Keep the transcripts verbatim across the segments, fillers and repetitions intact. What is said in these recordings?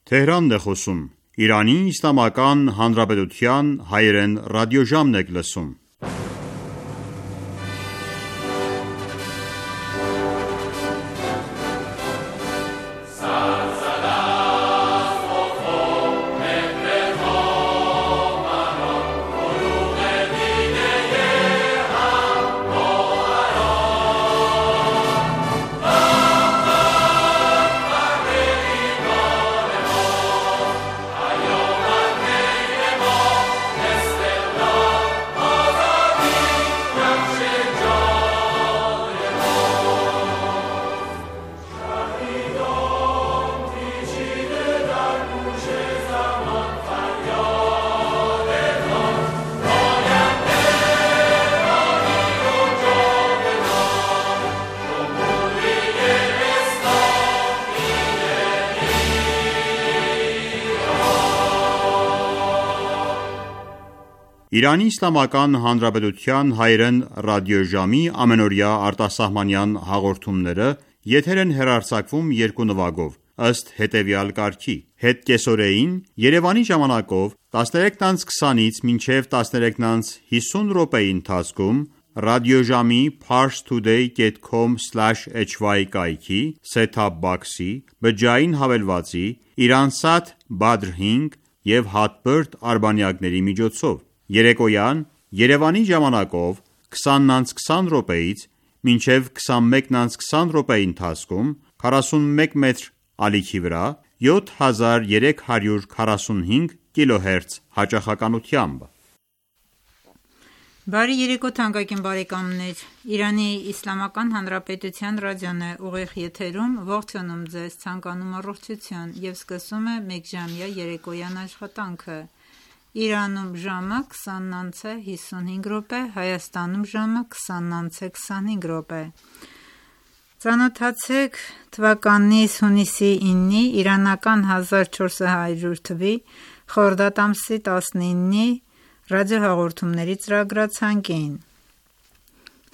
Թեհրանն է խոսում։ Իրանի Իսլամական Հանրապետության հայերեն ռադիոժամն եք լսում։ Իրանի Իսլամական Հանրապետության հայերեն ռադիոժամի ամենօրյա արտասահմանյան հաղորդումները եթեր են հեռարձակվում երկու նվագով, ըստ հետևյալ կարգի. Հետկեսօրեին Երևանի ժամանակով տասներեքն անց քսանից մինչև տասներեքն անց հիսուն րոպեի ընթացքում ռադիոժամի parstoday dot com slash h y կայքի set-top box-ի, բջջային հավելվածի, Iransat Badr հինգ և Hotbird արբանյակների միջոցով, երեկոյան Երևանի ժամանակով քսանն անց քսան րոպեից մինչև քսանմեկն անց քսան րոպեի ընթացքում քառասունմեկ մետր ալիքի վրա յոթ հազար երեք հարյուր քառասունհինգ կիլոհերց հաճախականությամբ։ Բարի երեկո թանկագին բարեկամներ, Իրանի Իսլամական Հանրապետության ռադիոն է ուղիղ եթերում, ողջունում ձեզ, ցանկանում առողջություն և սկսում է մեկժամյա երեկոյան աշխատանքը։ Իրանում ժամը քսանն անց է հիսունհինգ րոպե, Հայաստանում ժամը քսանն անց է քսանհինգ րոպե։ Ծանոթացեք թվականից հունիսի իննի իրանական հազար չորս հարյուր թվի խորդադ ամսի տասնիննի ռադիոհաղորդումների ծրագրացանկին։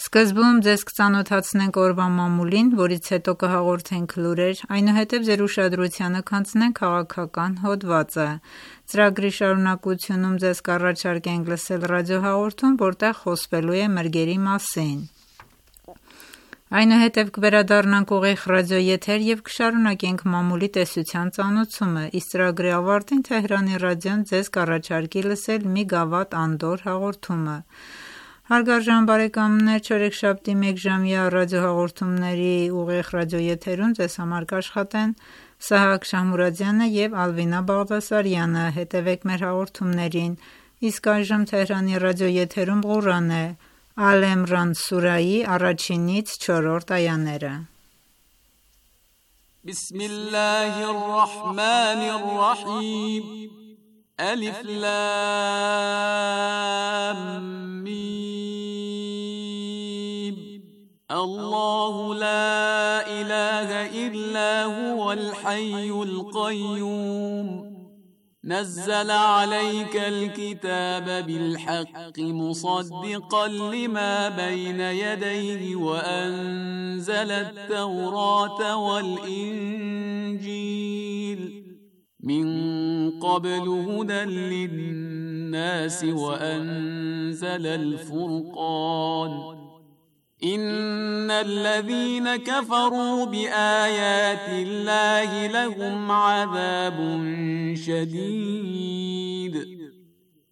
Սկզբում ձեզ կծանոթացնենք օրվա մամուլին, որից հետո կհաղորդենք լուրեր, այնուհետև ձեր ուշադրությանը կանցնենք քաղաքական հոդվածը։ Ծրագրի շարունակությունում ձեզ կառաջարկենք լսել ռադիոհաղորդում, որտեղ խոսվելու է մրգերի մասին։ Այնուհետև կվերադառնանք ուղիղ ռադիոեթեր և կշարունակենք մամուլի տեսության ծանոթությունը, իսկ ծրագրի ավարտին Թեհրանի ռադիոն ձեզ կառաջարկի լսել մի գավաթ անդորր հաղորդումը։ Հարգարժան բարեկամներ, չորեքշաբթի մեկժամյա ռադիոհաղորդումների ուղիղ ռադիոեթերում ձեզ համար կաշխատեն Սահակ Շահմուրադյանը և Ալվինա Բաղդասարյանը, հետևեք մեր հաղորդումներին, իսկ այժմ Թեհրանի ռադիոեթերում Ղուրան է, Ալ Էմրան սուրայի առաջինից չորրորդ այաները։ Բիսմիլլահիր ռահմանիր ռահիմ Ալիֆ լամ միմ Allahu la ilaha illa huwal hayyul qayyum نزل عليك الكتاب بالحق مصدقا لما بين يديه وأنزل التوراة والإنجيل من قبل هدى للناس وأنزل الفرقان إن الذين كفروا بآيات الله لهم عذاب شديد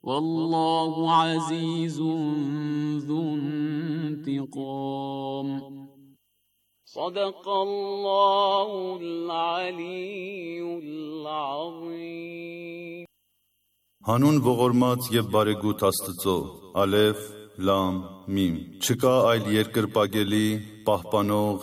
والله عزيز ذو انتقام صدق الله العلي العظيم Հանուն ողորմած եւ բարեգութ Աստծո, Ալեֆ, Լամ, Միմ։ Չկա այլ երկրպագելի, պահպանող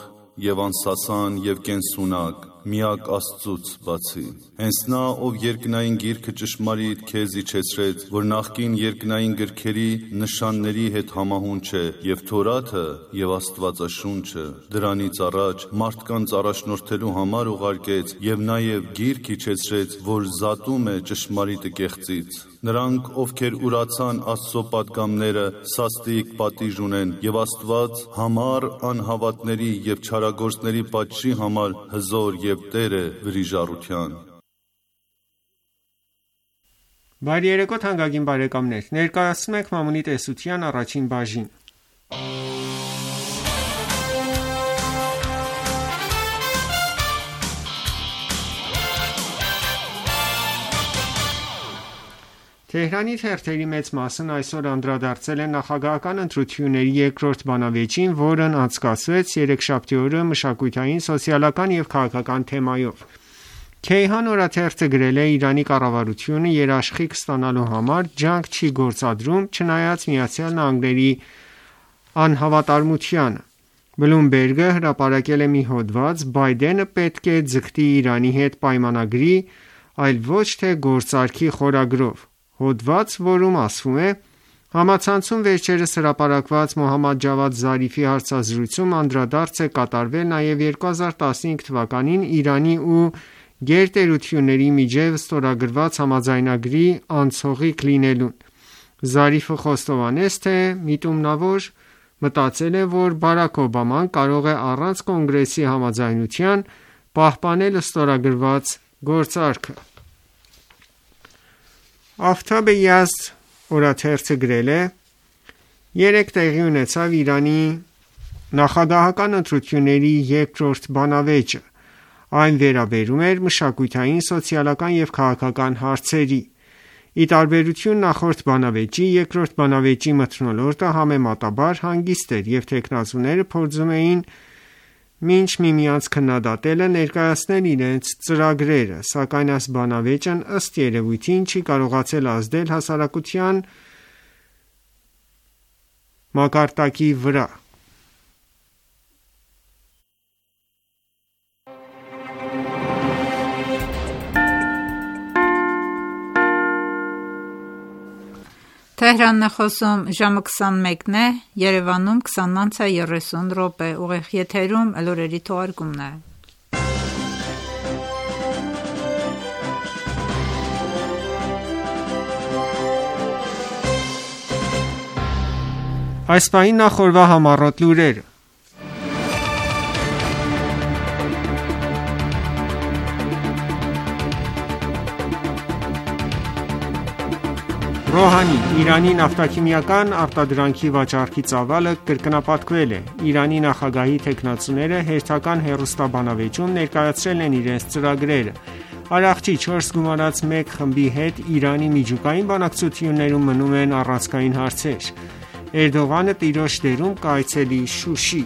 եւ անսասան եւ կենսունակ, միակ Աստծուց բացի։ Հենց նա, ով երկնային գիրքը ճշմարիտ քեզ իջեցրեց, որ նախկին երկնային գրքերի նշանների հետ համահունչ է, եւ Թորաթը եւ Աստվածաշունչը դրանից առաջ մարդկանց առաջնորդելու համար ուղարկեց եւ նաեւ գիրք իջեցրեց, որ զատում է ճշմարիտը կեղծից։ Նրանք, ովքեր ուրացան Աստծո պատգամները, սաստիկ պատիժ ունեն, եւ Աստված համառ անհավատների եւ չարագործների պատժի համար հզոր եւ Տեր է վրիժառության։ Բարի երեկո թանկագին բարեկամներ, ներկայացնում ենք մամուլի տեսության առաջին բաժին։ Թեհրանի թերթերի մեծ մասն այսօր անդրադարձել են նախագահական ընտրությունների երկրորդ բանավեճին, որն անցկացվեց երեքշաբթի օրը մշակութային, սոցիալական և քաղաքական թեմայով։ Քեյհան օրաթերթը գրել է. Իրանի կառավարությունը երաշխիք ստանալու համար ջանք չի գործադրում, չնայած Միացյալ Նահանգների անհավատարմությանը։ Բլումբերգը հրապարակել է մի հոդված. Բայդենը պետք է ձգտի Իրանի հետ պայմանագրի, այլ ոչ թե գործարքի խորագրով։ Հոդված, որում ասվում է. Համացանցում վերջերս հրապարակված Մոհամմադ Ջավադ Զարիֆի հարցազրույցում անդրադարձ է կատարվել նաև երկու հազար տասնհինգ թվականին Իրանի ու գերտերությունների միջև ստորագրված համաձայնագրի անցողիկ լինելուն։ Զարիֆը խոստովանեց, թե միտումնավոր մտածել է, որ Բարաք Օբաման կարող է առանց կոնգրեսի համաձայնության պահպանել ստորագրված գործարքը։ Աֆթաբե Յազդ օրաթերթը գրել է. Երեկ տեղի ունեցավ Իրանի նախագահական ընտրությունների երկրորդ բանավեճը։ Այն վերաբերում էր մշակութային, սոցիալական և քաղաքական հարցերի։ Ի տարբերություն նախորդ բանավեճի, երկրորդ բանավեճի մթնոլորտը համեմատաբար հանգիստ էր, և թեկնածուները փորձում էին մինչ միմյանց քննադատելը ներկայացնել իրենց ծրագրերը, սակայն այս բանավեճն ըստ երևույթին չի կարողացել ազդել հասարակության մակարդակի վրա։ Թեհրանն է խոսում ժամը քսանմեկն է, Երևանում քսանն անց է երեսուն րոպե, ուղիղ եթերում լուրերի թողարկումն է։ Այս պահին նախորդ համառոտ լուրերը։ Ռոհանի. Իրանի նավթաքիմիական արտադրանքի վաճառքի ծավալը կրկնապատկվել է։ Իրանի նախագահի թեկնածուները հերթական հեռուստաբանավեճում ներկայացրել են իրենց ծրագրերը։ Արարողի չորս գումարած մեկ խմբի հետ Իրանի միջուկային բանակցություններում մնում են առանցքային հարցեր։ Էրդողանը տիրոջ դերում կայցելի Շուշի։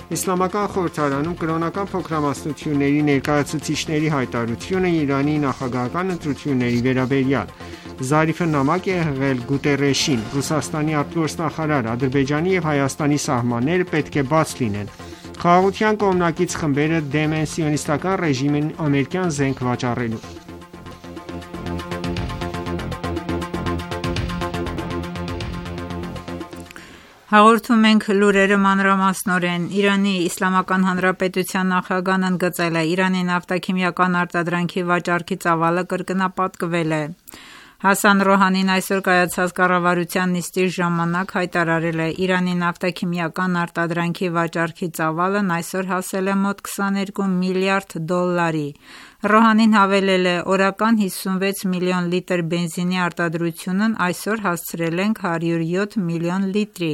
Իսլամական խորհրդարանում կրոնական փոքրամասնությունների ներկայացուցիչների հայտարարությունը Իրանի նախագահական ընտրությունների վերաբերյալ։ Զարիֆը նամակ է հղել Գուտերեշին, Ռուսաստանի արտգործնախարար, Ադրբեջանի և Հայաստանի սահմանները պետք է բաց լինեն։ Խաղաղության կողմնակից խմբերը դեմ են սիոնիստական ռեժիմին ամերիկյան զենք վաճառելու։ Հաղորդում ենք լուրերը մանրամասնորեն։ Իրանի Իսլամական Հանրապետության նախագահն ընդգծել է. Իրանի նավթաքիմիական արտադրանքի վաճառքի ծավալը կրկնապատկվել է։ Հասան Ռոհանին այսօր կայացած կառավարության նիստի ժամանակ հայտարարել է. Իրանի նավթաքիմիական արտադրանքի վաճառքի ծավալն այսօր հասել է մոտ քսաներկու միլիարդ դոլարի։ Ռոհանին հավելել է. օրական հիսունվեց միլիոն լիտր բենզինի արտադրությունն այսօր հասցրել ենք հարյուր յոթ միլիոն լիտրի,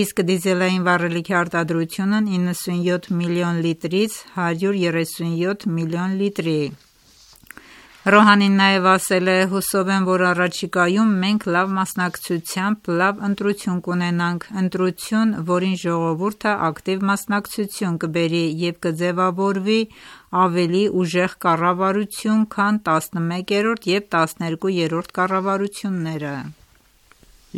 իսկ դիզելային վառելիքի արտադրությունն իննսունյոթ միլիոն լիտրից հարյուր երեսունյոթ միլիոն լիտրի։ Ռոհանին նաև ասել է. հուսով եմ, որ առաջիկայում մենք լավ մասնակցությամբ լավ ընտրություն կունենանք, ընտրություն, որին ժողովուրդը ակտիվ մասնակցություն կբերի և կձևավորվի ավելի ուժեղ կառավարություն, քան տասնմեկերորդ և տասներկուերորդ կառավարությունները։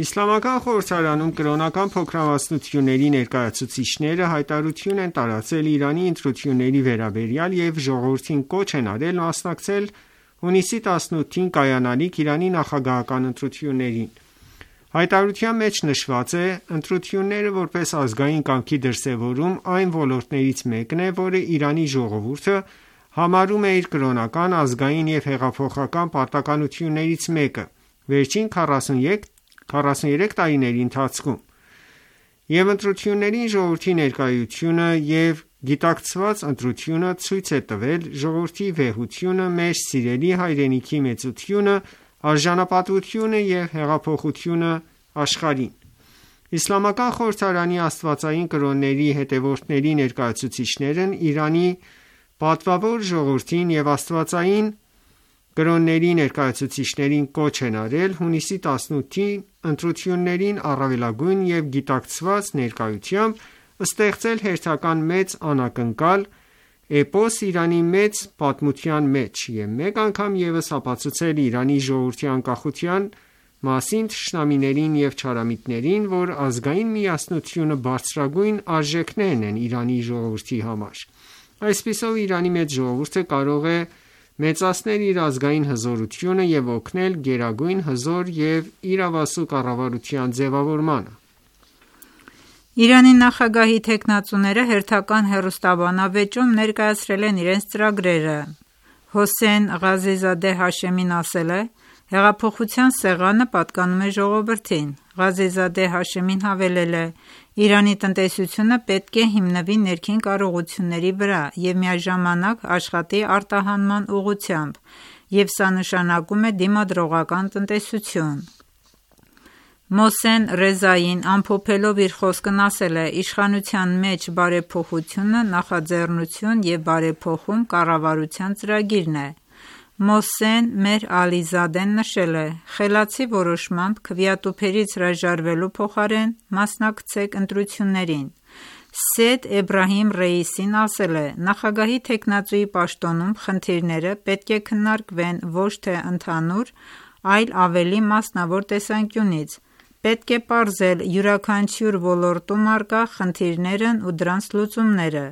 Իսլամական խորհրդարանում կրոնական փոքրամասնությունների ներկայացուցիչները հայտարարություն են տարածել Իրանի ընտրությունների վերաբերյալ և ժողովրդին կոչ են արել մասնակցել հունիսի տասնութին կայանալիք Իրանի նախագահական ընտրություններին։ Հայտարարության մեջ նշված է. ընտրությունները որպես ազգային կամքի դրսևորում այն ոլորտներից մեկն է, որը Իրանի ժողովուրդը համարում է իր կրոնական, ազգային և հեղափոխական պարտականություններից մեկը վերջին քառասուներեք տարիների ընթացքում, և ընտրություններին ժողովրդի ներկայությունը և գիտակցված ընտրությունը ցույց է տվել ժողովրդի վեհությունը, մեր սիրելի հայրենիքի մեծությունը, արժանապատվությունը և հեղափոխությունը աշխարհին։ Իսլամական խորհրդարանի աստվածային կրոնների հետևորդների ներկայացուցիչներն Իրանի պատվավոր ժողովրդին և աստվածային կրոնների ներկայացուցիչներին կոչ են արել հունիսի տասնութի ընտրություններին առավելագույն և գիտակցված ներկայությամբ ստեղծել հերթական մեծ անակնկալ էպոս Իրանի մեծ պատմության մեջ և մեկ անգամ ևս ապացուցել Իրանի ժողովրդի անկախության մասին թշնամիներին և չարամիտներին, որ ազգային միասնությունը բարձրագույն արժեքներն են Իրանի ժողովրդի համար։ Այսպիսով Իրանի մեծ ժողովուրդը կարող է մեծացնել իր ազգային հզորությունը և օգնել գերագույն հզոր և իրավասու կառավարության ձևավորմանը։ Իրանի նախագահի թեկնածուները հերթական հեռուստաբանավեճում ներկայացրել են իրենց ծրագրերը։ Հոսեյն Ղազիզադե Հաշեմին ասել է. «Հեղափոխության սեղանը պատկանում է ժողովրդին»։ Ղազիզադե Հաշեմին հավելել է. «Իրանի տնտեսությունը պետք է հիմնվի ներքին կարողությունների վրա և միաժամանակ աշխատի արտահանման ուղղությամբ, և սա նշանակում է դիմադրողական տնտեսություն»։ Մոհսեն Ռեզային ամփոփելով իր խոսքն ասել է. «Իշխանության մեջ բարեփոխությունը նախաձեռնություն և բարեփոխում կառավարության ծրագիրն է»։ Մոհսեն Մեհր Ալիզադեն նշել է. «Խելացի որոշմամբ քվեատուփերից հրաժարվելու փոխարեն մասնակցեք ընտրություններին»։ Սեյեդ Էբրահիմ Ռեյիսին ասել է. «Նախագահի թեկնածուի պաշտոնում խնդիրները պետք է քննարկվեն ոչ թե ընդհանուր, այլ ավելի մասնավոր տեսանկյունից։ Պետք է պարզել յուրաքանչյուր ոլորտում առկա խնդիրներն ու դրանց լուծումները»։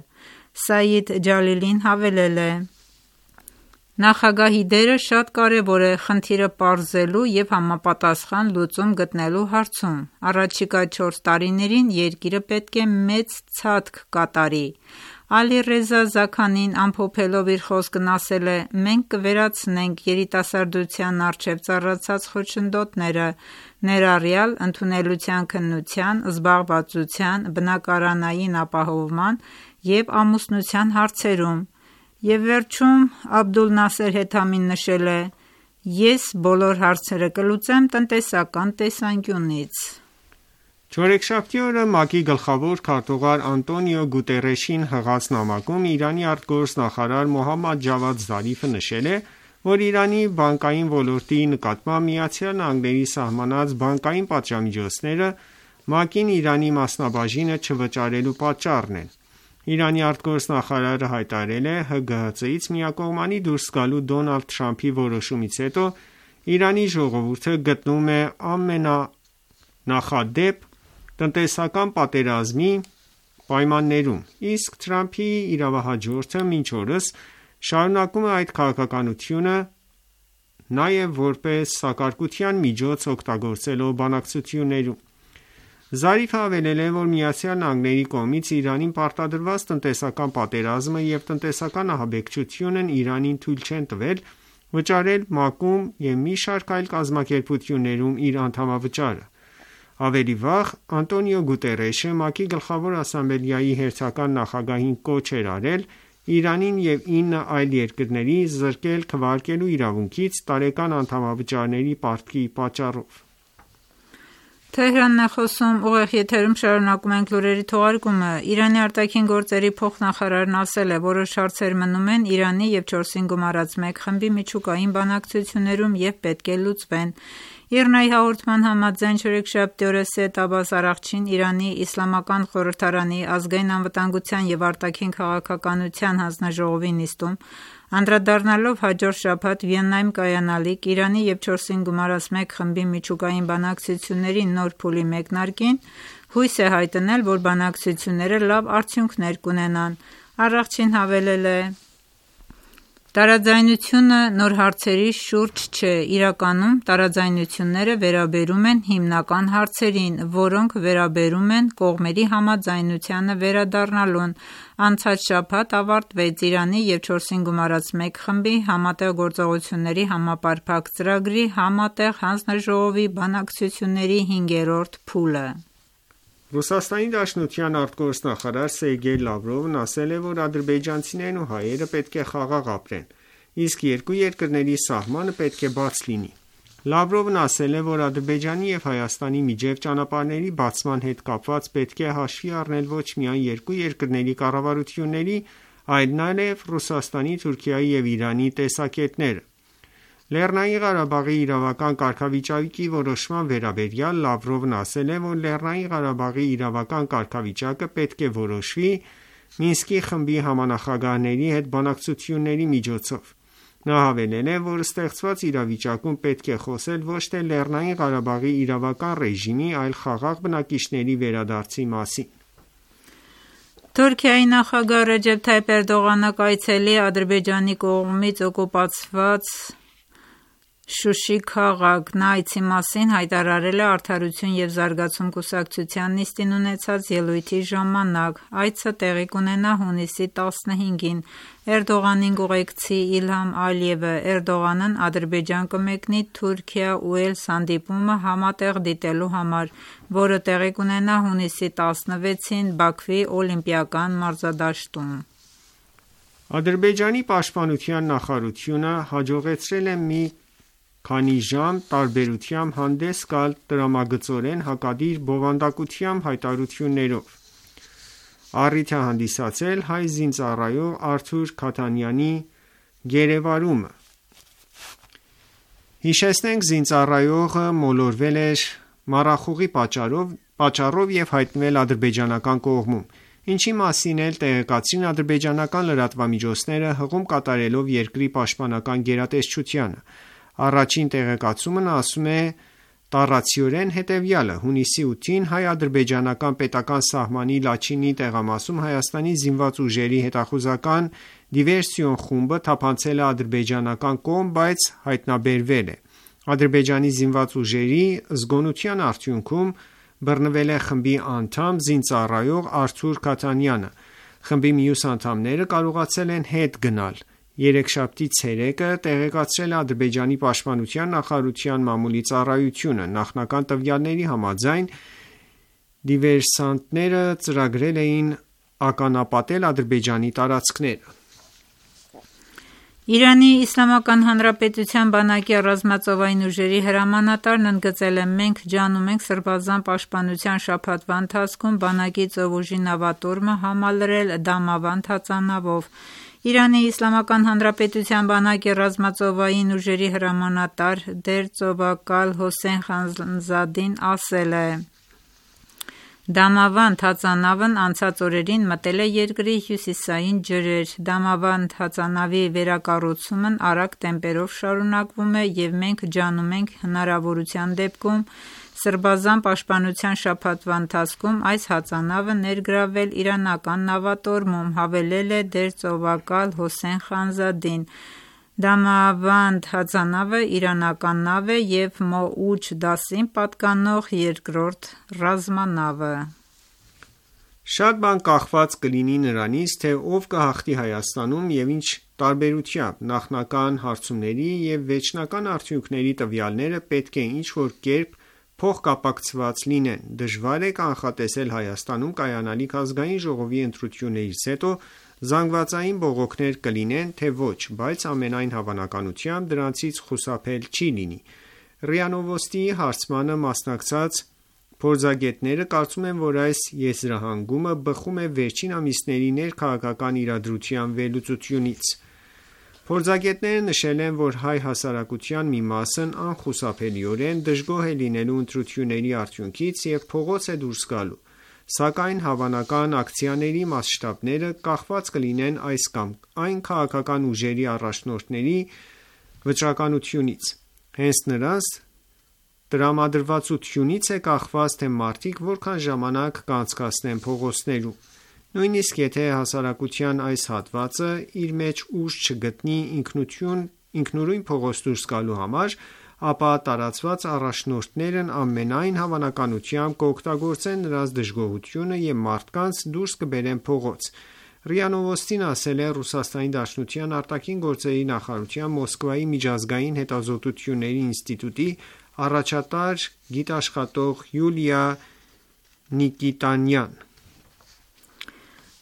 Սաիդ Ջալիլին հավելել է. «Նախագահի դերը շատ կարևոր է խնդիրը պարզելու և համապատասխան լուծում գտնելու հարցում։ Առաջիկա չորս տարիներին երկիրը պետք է մեծ ցատք կատարի»։ Ալի-Ռեզա Զաքանին ամփոփելով իր խոսքն ասել է. «Մենք կվերացնենք երիտասարդության առջև ծառացած խոչընդոտները, ներառյալ ընդունելության քննության, զբաղվածության, բնակարանային ապահովման և ամուսնության հարցերում»։ Եվ վերջում Աբդուլ Նասեր Հեթամին նշել է. «Ես բոլոր հարցերը կլուծեմ տնտեսական տեսանկյունից»։ Չորեքշաբթի օրը ՄԱԿ-ի գլխավոր քարտուղար Անտոնիո Գուտերեշին հղած նամակում Իրանի արտգործնախարար Մոհամմադ Ջավադ Զարիֆը նշել է, որ Իրանի բանկային ոլորտի նկատմամբ ԱՄՆ-ի սահմանած բանկային պատժամիջոցները ՄԱԿ-ին Իրանի մասնաբաժինը չվճարելու պատճառն են։ Իրանի արտգործնախարարը հայտարարել է Հ Գ Հ Ց-ից միակողմանի դուրս գալու Դոնալդ Թրամփի որոշումից հետո Իրանի ժողովուրդը գտնվում է ամենանախադեպ տնտեսական պատերազմի պայմաններում, իսկ Թրամփի իրավահաջորդը մինչ օրս շարունակում է այդ քաղաքականությունը, նաև որպես սակարկության միջոց օգտագործելով բանակցություններում։ Զարիֆը հավելել է, որ ԱՄՆ-ի կողմից Իրանին պարտադրված տնտեսական պատերազմը և տնտեսական ահաբեկչությունն Իրանին թույլ չեն տվել վճարել ՄԱԿ-ում և մի շարք այլ կազմակերպություններում իր անդամավճարը։ Ավելի վաղ Անտոնիո Գուտերեշը ՄԱԿ-ի Գլխավոր ասամբլեայի հերթական նախագահին կոչ էր արել Իրանին և ինը այլ երկրների զրկել քվեարկելու իրավունքից տարեկան անդամավճարների պարտքի պատճառով։ Իրանի արտաքին գործերի փոխնախարարն ասել է. «Որոշ հարցեր մնում են Իրանի և չորսին գումարած մեկ խմբի միջուկային բանակցություններում և պետք է լուծվեն»։ ԻՌՆԱ-ի հաղորդման համաձայն չորեքշաբթի օրը Սեյեդ Աբբաս Արաղչին Իրանի Իսլամական խորհրդարանի ազգային անվտանգության և արտաքին քաղաքականության հանձնաժողովի նիստում անդրադառնալով հաջորդ շաբաթ Վիեննայում կայանալիք Իրանի և չորսին գումարած մեկ խմբի միջուկային բանակցությունների նոր փուլի մեկնարկին, հույս է հայտնել, որ բանակցությունները լավ արդյունքներ կունենան։ Արաղչին հավելել է. «Տարաձայնությունը նոր հարցերի շուրջ չէ, իրականում տարաձայնությունները վերաբերում են հիմնական հարցերին, որոնք վերաբերում են կողմերի համաձայնությանը վերադառնալուն։ Անցած շաբաթ ավարտվեց Իրանի և չորսին գումարած մեկ խմբի Համատեղ գործողությունների համապարփակ ծրագրի Համատեղ հանձնաժողովի բանակցությունների հինգերորդ փուլը»։ Ռուսաստանի Դաշնության արտգործնախարար Սերգեյ Լավրովն ասել է, որ ադրբեջանցիներն ու հայերը պետք է խաղաղ ապրեն, իսկ երկու երկրների սահմանը պետք է բաց լինի։ Լավրովն ասել է, որ Ադրբեջանի և Հայաստանի միջև ճանապարհների բացման հետ կապված պետք է հաշվի առնել ոչ միայն երկու երկրների կառավարությունների, այլ նաև Ռուսաստանի, Թուրքիայի և Իրանի տեսակետները։ Լեռնային Ղարաբաղի իրավական կարգավիճակի որոշման վերաբերյալ Լավրովն ասել է, որ Լեռնային Ղարաբաղի իրավական կարգավիճակը պետք է որոշվի Մինսկի խմբի համանախագահների հետ բանակցությունների միջոցով։ Նա հավելել է, որ ստեղծված իրավիճակում պետք է խոսել ոչ թե Լեռնային Ղարաբաղի իրավական ռեժիմի, այլ խաղաղ բնակիչների վերադարձի մասին։ Թուրքիայի նախագահ Ռեջեփ Թայիփ Էրդողանը կայցելի Ադրբեջանի կողմից օկուպացված Շուշի քաղաք։ Նա այցի մասին հայտարարել է Արդարություն և զարգացում կուսակցության նիստին ունեցած ելույթի ժամանակ։ Այցը տեղի կունենա հունիսի տասնհինգին։ Էրդողանին կուղեկցի Իլհամ Ալիևը։ Էրդողանն Ադրբեջան կմեկնի Թուրքիա ու Էլց հանդիպումը համատեղ դիտելու համար, որը տեղի կունենա հունիսի տասնվեցին Բաքվի Օլիմպիական մարզադաշտում։ Ադրբեջանի պաշտպանության նախարարությունը հաջողեցրել է մի քանի ժամ տարբերությամբ հանդես գալ տրամագծորեն հակադիր բովանդակությամբ հայտարարություններով։ Առիթ է հանդիսացել հայ զինծառայող Արթուր Քաթանյանի գերեվարումը։ Հիշեցնենք, զինծառայողը մոլորվել էր մառախուղի պատճառով, պատճառով և հայտնվել ադրբեջանական կողմում, ինչի մասին էլ տեղեկացրին ադրբեջանական լրատվամիջոցները հղում կատարելով երկրի պաշտպանական գերատեսչությանը։ Առաջին տեղեկացումն ասում է տառացիորեն հետևյալը. հունիսի ութին հայ-ադրբեջանական պետական սահմանի Լաչինի տեղամասում Հայաստանի զինված ուժերի հետախուզական դիվերսիոն խումբը թափանցել է ադրբեջանական կողմ, բայց հայտնաբերվել է։ Ադրբեջանի զինված ուժերի զգոնության արդյունքում բռնվել է խմբի անդամ զինծառայող Արթուր Քաթանյանը։ Խմբի մյուս անդամները կարողացել են հետ գնալ։ Երեքշաբթի ցերեկը տեղեկացրել է Ադրբեջանի պաշտպանության նախարարության մամուլի ծառայությունը։ Նախնական տվյալների համաձայն դիվերսանտները ծրագրել էին ականապատել Ադրբեջանի տարածքները։ Իրանի Իսլամական Հանրապետության բանակի ռազմածովային ուժերի հրամանատարն ընդգծել է. «Մենք ջանում ենք Սրբազան պաշտպանության շաբաթվա ընթացքում բանակի ծովուժի նավատորմը համալրել Դամավանդ հածանավով»։ Իրանի Իսլամական Հանրապետության բանակի ռազմածովային ուժերի հրամանատար դերծովակալ Հոսեյն Խանզադին ասել է. «Դամավանդ հածանավն անցած օրերին մտել է երկրի հյուսիսային ջրեր։ Դամավանդ հածանավի վերակառուցումն արագ տեմպերով շարունակվում է և մենք ջանում ենք հնարավորության դեպքում Սրբազան պաշտպանության շաբաթվա ընթացքում այս հածանավը ներգրավել իրանական նավատորմում», հավելել է դերծովակալ Հոսեյն Խանզադին։ Դամավանդ հածանավը իրանական նավ է և Մոուջ դասին պատկանող երկրորդ ռազմանավը։ Շատ բան կախված կլինի նրանից, թե ով կհաղթի Հայաստանում և ինչ տարբերությամբ։ Նախնական հարցումների և վերջնական արդյունքների տվյալները պետք է ինչ-որ կերպ փոխկապակցված լինեն։ Դժվար է կանխատեսել Հայաստանում կայանալիք ազգային ժողովի ընտրություններից հետո զանգվածային բողոքներ կլինեն, թե ոչ, բայց ամենայն հավանականությամբ դրանցից խուսափել չի լինի։ ՌԻԱ Նովոստիի հարցմանը մասնակցած փորձագետները կարծում են, որ այս եզրահանգումը բխում է վերջին ամիսների ներքաղաքական իրադրության վերլուծությունից։ Փորձագետները նշել են, որ հայ հասարակության մի մասն անխուսափելիորեն դժգոհ է լինելու ընտրությունների արդյունքից և փողոց է դուրս գալու, սակայն հավանական ակցիաների մասշտաբները կախված կլինեն այս կամ այն քաղաքական ուժերի առաջնորդների վճռականությունից։ Հենց նրանց տրամադրվածությունից է կախված, թե մարդիկ որքան ժամանակ կանցկացնեն փողոցներում։ Նույնիսկ եթե հասարակության այս հատվածը իր մեջ ուժ չգտնի ինքնուրույն փողոց դուրս գալու համար, ապա տարածված առաջնորդներն ամենայն հավանականությամբ կօգտագործեն նրանց դժգոհությունը և մարդկանց դուրս կբերեն փողոց։ ՌԻԱ Նովոստին ասել է Ռուսաստանի Դաշնության արտաքին գործերի նախարարության Մոսկվայի միջազգային հետազոտությունների ինստիտուտի առաջատար գիտաշխատող Յուլիա Նիկիտանյան։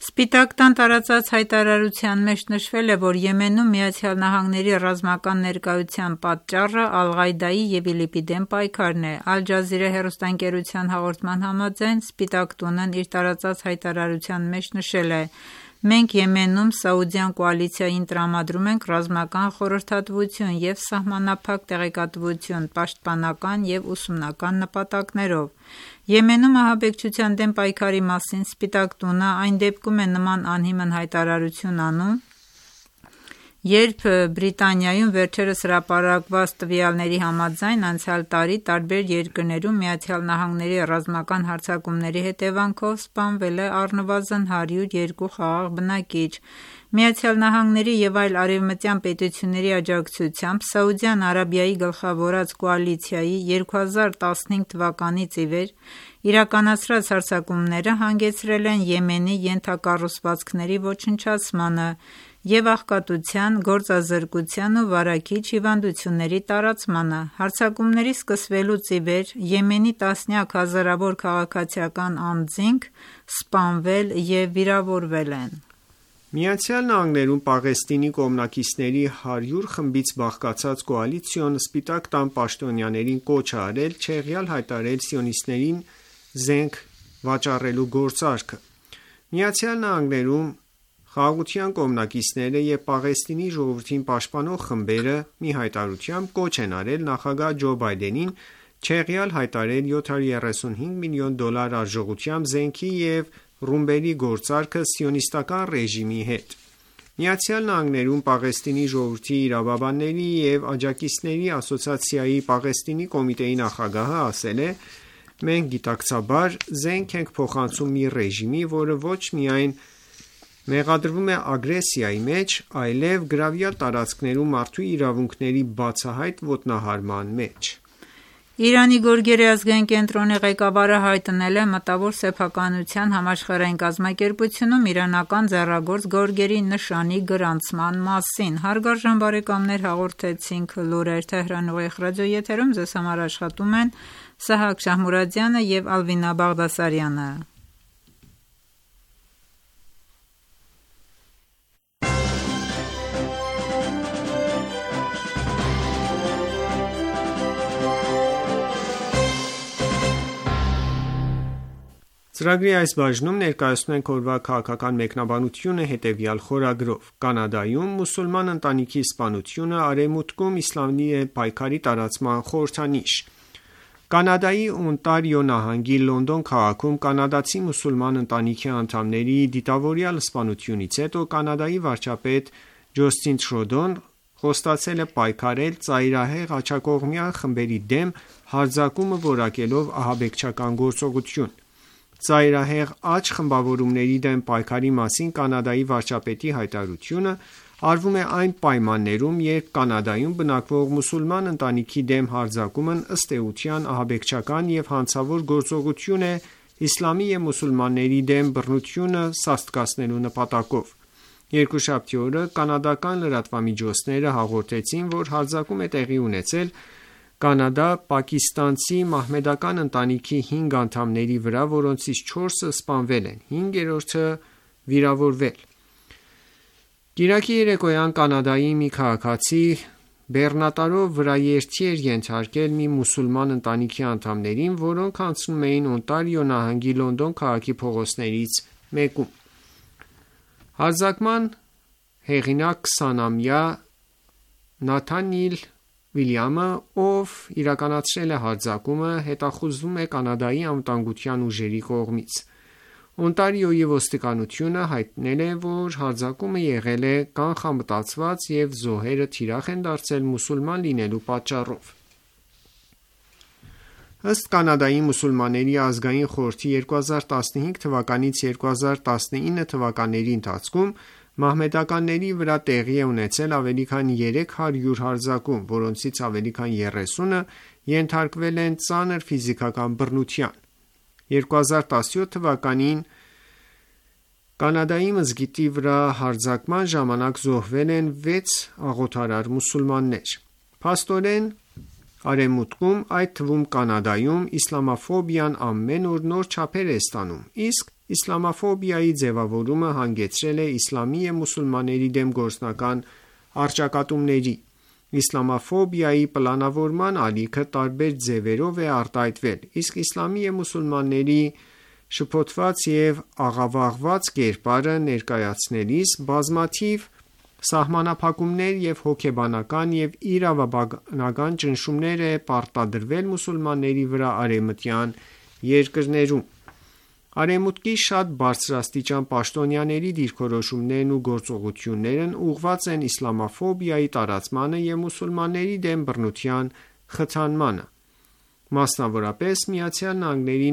Սպիտակ տան տարածած հայտարարության մեջ նշվել է, որ Եմենում ԱՄՆ-ի ռազմական ներկայության պատճառը Ալ-Ղաիդայի և ԻԼԻՊ-ի դեմ պայքարն է։ Ալ Ջազիրա հեռուստաընկերության հաղորդման համաձայն Սպիտակ տունն իր տարածած հայտարարության մեջ նշել է. «Մենք Եմենում Սաուդյան կոալիցիային տրամադրում ենք ռազմական խորհրդատվություն և սահմանափակ տեղեկատվություն պաշտպանական և ուսումնական նպատակներով»։ Եմենում ահաբեկչության դեմ պայքարի մասին Սպիտակ տունը այն դեպքում է նման անհիմն հայտարարություն անում, երբ Բրիտանիայում վերջերս հրապարակված տվյալների համաձայն անցյալ տարի տարբեր երկրներում ԱՄՆ-ի ռազմական հարձակումների հետևանքով սպանվել է առնվազն հարյուր երկու խաղաղ բնակիչ։ ԱՄՆ-ի և այլ արևմտյան պետությունների աջակցությամբ Սաուդյան Արաբիայի գլխավորած կոալիցիայի երկու հազար տասնհինգ թվականից ի վեր իրականացրած հարձակումները հանգեցրել են Եմենի ենթակառուցվածքների ոչնչացմանը և աղքատության, գործազրկության ու վարակիչ հիվանդությունների տարածմանը։ Հարձակումների սկսվելուց ի վեր Եմենի տասնյակ հազարավոր քաղաքացիական անձինք սպանվել և վիրավորվել են։ ԱՄՆ-ում Պաղեստինի կողմնակիցների հարյուր խմբից բաղկացած կոալիցիոն Սպիտակ տան պաշտոնյաներին կոչ է արել չեղյալ հայտարարել սիոնիստներին զենք վաճառելու գործարքը։ ԱՄՆ-ում Խաղաղության կողմնակիցները և Պաղեստինի ժողովրդին պաշտպանող խմբերը մի հայտարարությամբ կոչ են արել նախագահ Ջո Բայդենին չեղյալ հայտարարել յոթ հարյուր երեսունհինգ միլիոն դոլար արժողությամբ զենքի և ռումբերի գործարքը սիոնիստական ռեժիմի հետ։ ԱՄՆ-ում Պաղեստինի ժողովրդի իրավաբանների և աջակիցների ասոցիացիայի Պաղեստինի կոմիտեի նախագահը ասել է. «Մենք գիտակցաբար զենք ենք փոխանցում մի ռեժիմի, որը ոչ միայն մեղադրվում է ագրեսիայի մեջ, այլև գրավյալ տարածքներում մարդու իրավունքների բացահայտ ոտնահարման մեջ»։ Իրանի գորգերի ազգային կենտրոնի ղեկավարը հայտնել է Մտավոր սեփականության համաշխարհային կազմակերպությունում իրանական ձեռագործ գորգերի նշանի գրանցման մասին։ Հարգարժան բարեկամներ, հաղորդեցինք լուրեր Թեհրանի ուղիղ ռադիոեթերում։ Ձեզ համար աշխատում են Սահակ Շահմուրադյանը և Ալվինա Բաղդասարյանը։ Ծրագրի այս բաժնում ներկայացնում ենք օրվա քաղաքական մեկնաբանությունը հետևյալ խորագրով. Կանադայում մուսուլման ընտանիքի սպանությունը Արևմուտքում իսլամի դեմ պայքարի տարածման խորհրդանիշ։ Կանադայի Օնտարիո նահանգի Լոնդոն քաղաքում կանադացի մուսուլման ընտանիքի անդամների դիտավորյալ սպանությունից հետո Կանադայի վարչապետ Ջոստին Թրուդոն խոստացել է պայքարել ծայրահեղ աջակողմյան խմբերի դեմ հարձակումը որակելով ահաբեկչական գործողություն։ Ծայրահեղ աջ խմբավորումների դեմ պայքարի մասին Կանադայի վարչապետի հայտարարությունը արվում է այն պայմաններում, երբ Կանադայում բնակվող մուսուլման ընտանիքի դեմ հարձակումն ըստ էության ահաբեկչական և հանցավոր գործողություն է իսլամի և մուսուլմանների դեմ բռնությունը սաստկացնելու նպատակով։ Երկուշաբթի օրը կանադական լրատվամիջոցները հաղորդեցին, որ հարձակում է տեղի ունեցել կանադա-պակիստանցի մահմեդական ընտանիքի հինգ անդամների վրա, որոնցից չորսը սպանվել են, հինգերորդը վիրավորվել։ Կիրակի երեկոյան Կանադայի մի քաղաքացի բեռնատարով վրաերթի էր ենթարկել մի մուսուլման ընտանիքի անդամներին, որոնք անցնում էին Օնտարիո նահանգի Լոնդոն քաղաքի փողոցներից մեկում։ Հարձակման հեղինակ քսանամյա Նաթանիել Վիլյամը, ով իրականացրել է հարձակումը, հետախուզվում է Կանադայի անվտանգության ուժերի կողմից։ Օնտարիոյի ոստիկանությունը հայտնել է, որ հարձակումը եղել է կանխամտածված և զոհերը թիրախ են դարձել մուսուլման լինելու պատճառով։ Ըստ Կանադայի մուսուլմանների ազգային խորհրդի երկու հազար տասնհինգ թվականից երկու հազար տասնինը թվականների ընթացքում մահմեդականների վրա տեղի է ունեցել ավելի քան երեք հարյուր հարձակում, որոնցից ավելի քան երեսունը ենթարկվել են ծանր ֆիզիկական բռնության։ երկու հազար տասնյոթ թվականին Կանադայի մզկիթի վրա հարձակման ժամանակ զոհվել են վեց աղոթարար մուսուլմաններ։ Փաստորեն, Արևմուտքում, այդ թվում Կանադայում, իսլամաֆոբիան ամեն օր նոր չափեր է ստանում, իսկ Իսլամաֆոբիայի ձևավորումը հանգեցրել է իսլամի և մուսուլմանների դեմ գործնական առճակատումների: Իսլամաֆոբիայի պլանավորման ալիքը տարբեր ձևերով է արտահայտվել, իսկ իսլամի և մուսուլմանների շփոթված և աղավաղված կերպարը ներկայացնելիս բազմաթիվ սահմանափակումներ և հոգեբանական և իրավաբանական ճնշումներ է պարտադրվել մուսուլմանների վրա արևմտյան երկրներում: Արևմուտքի շատ բարձրաստիճան պաշտոնյաների դիրքորոշումներն ու գործողություններն ուղղված են իսլամաֆոբիայի տարածմանը և մուսուլմանների դեմ բռնության խթանմանը: Մասնավորապես, ԱՄՆ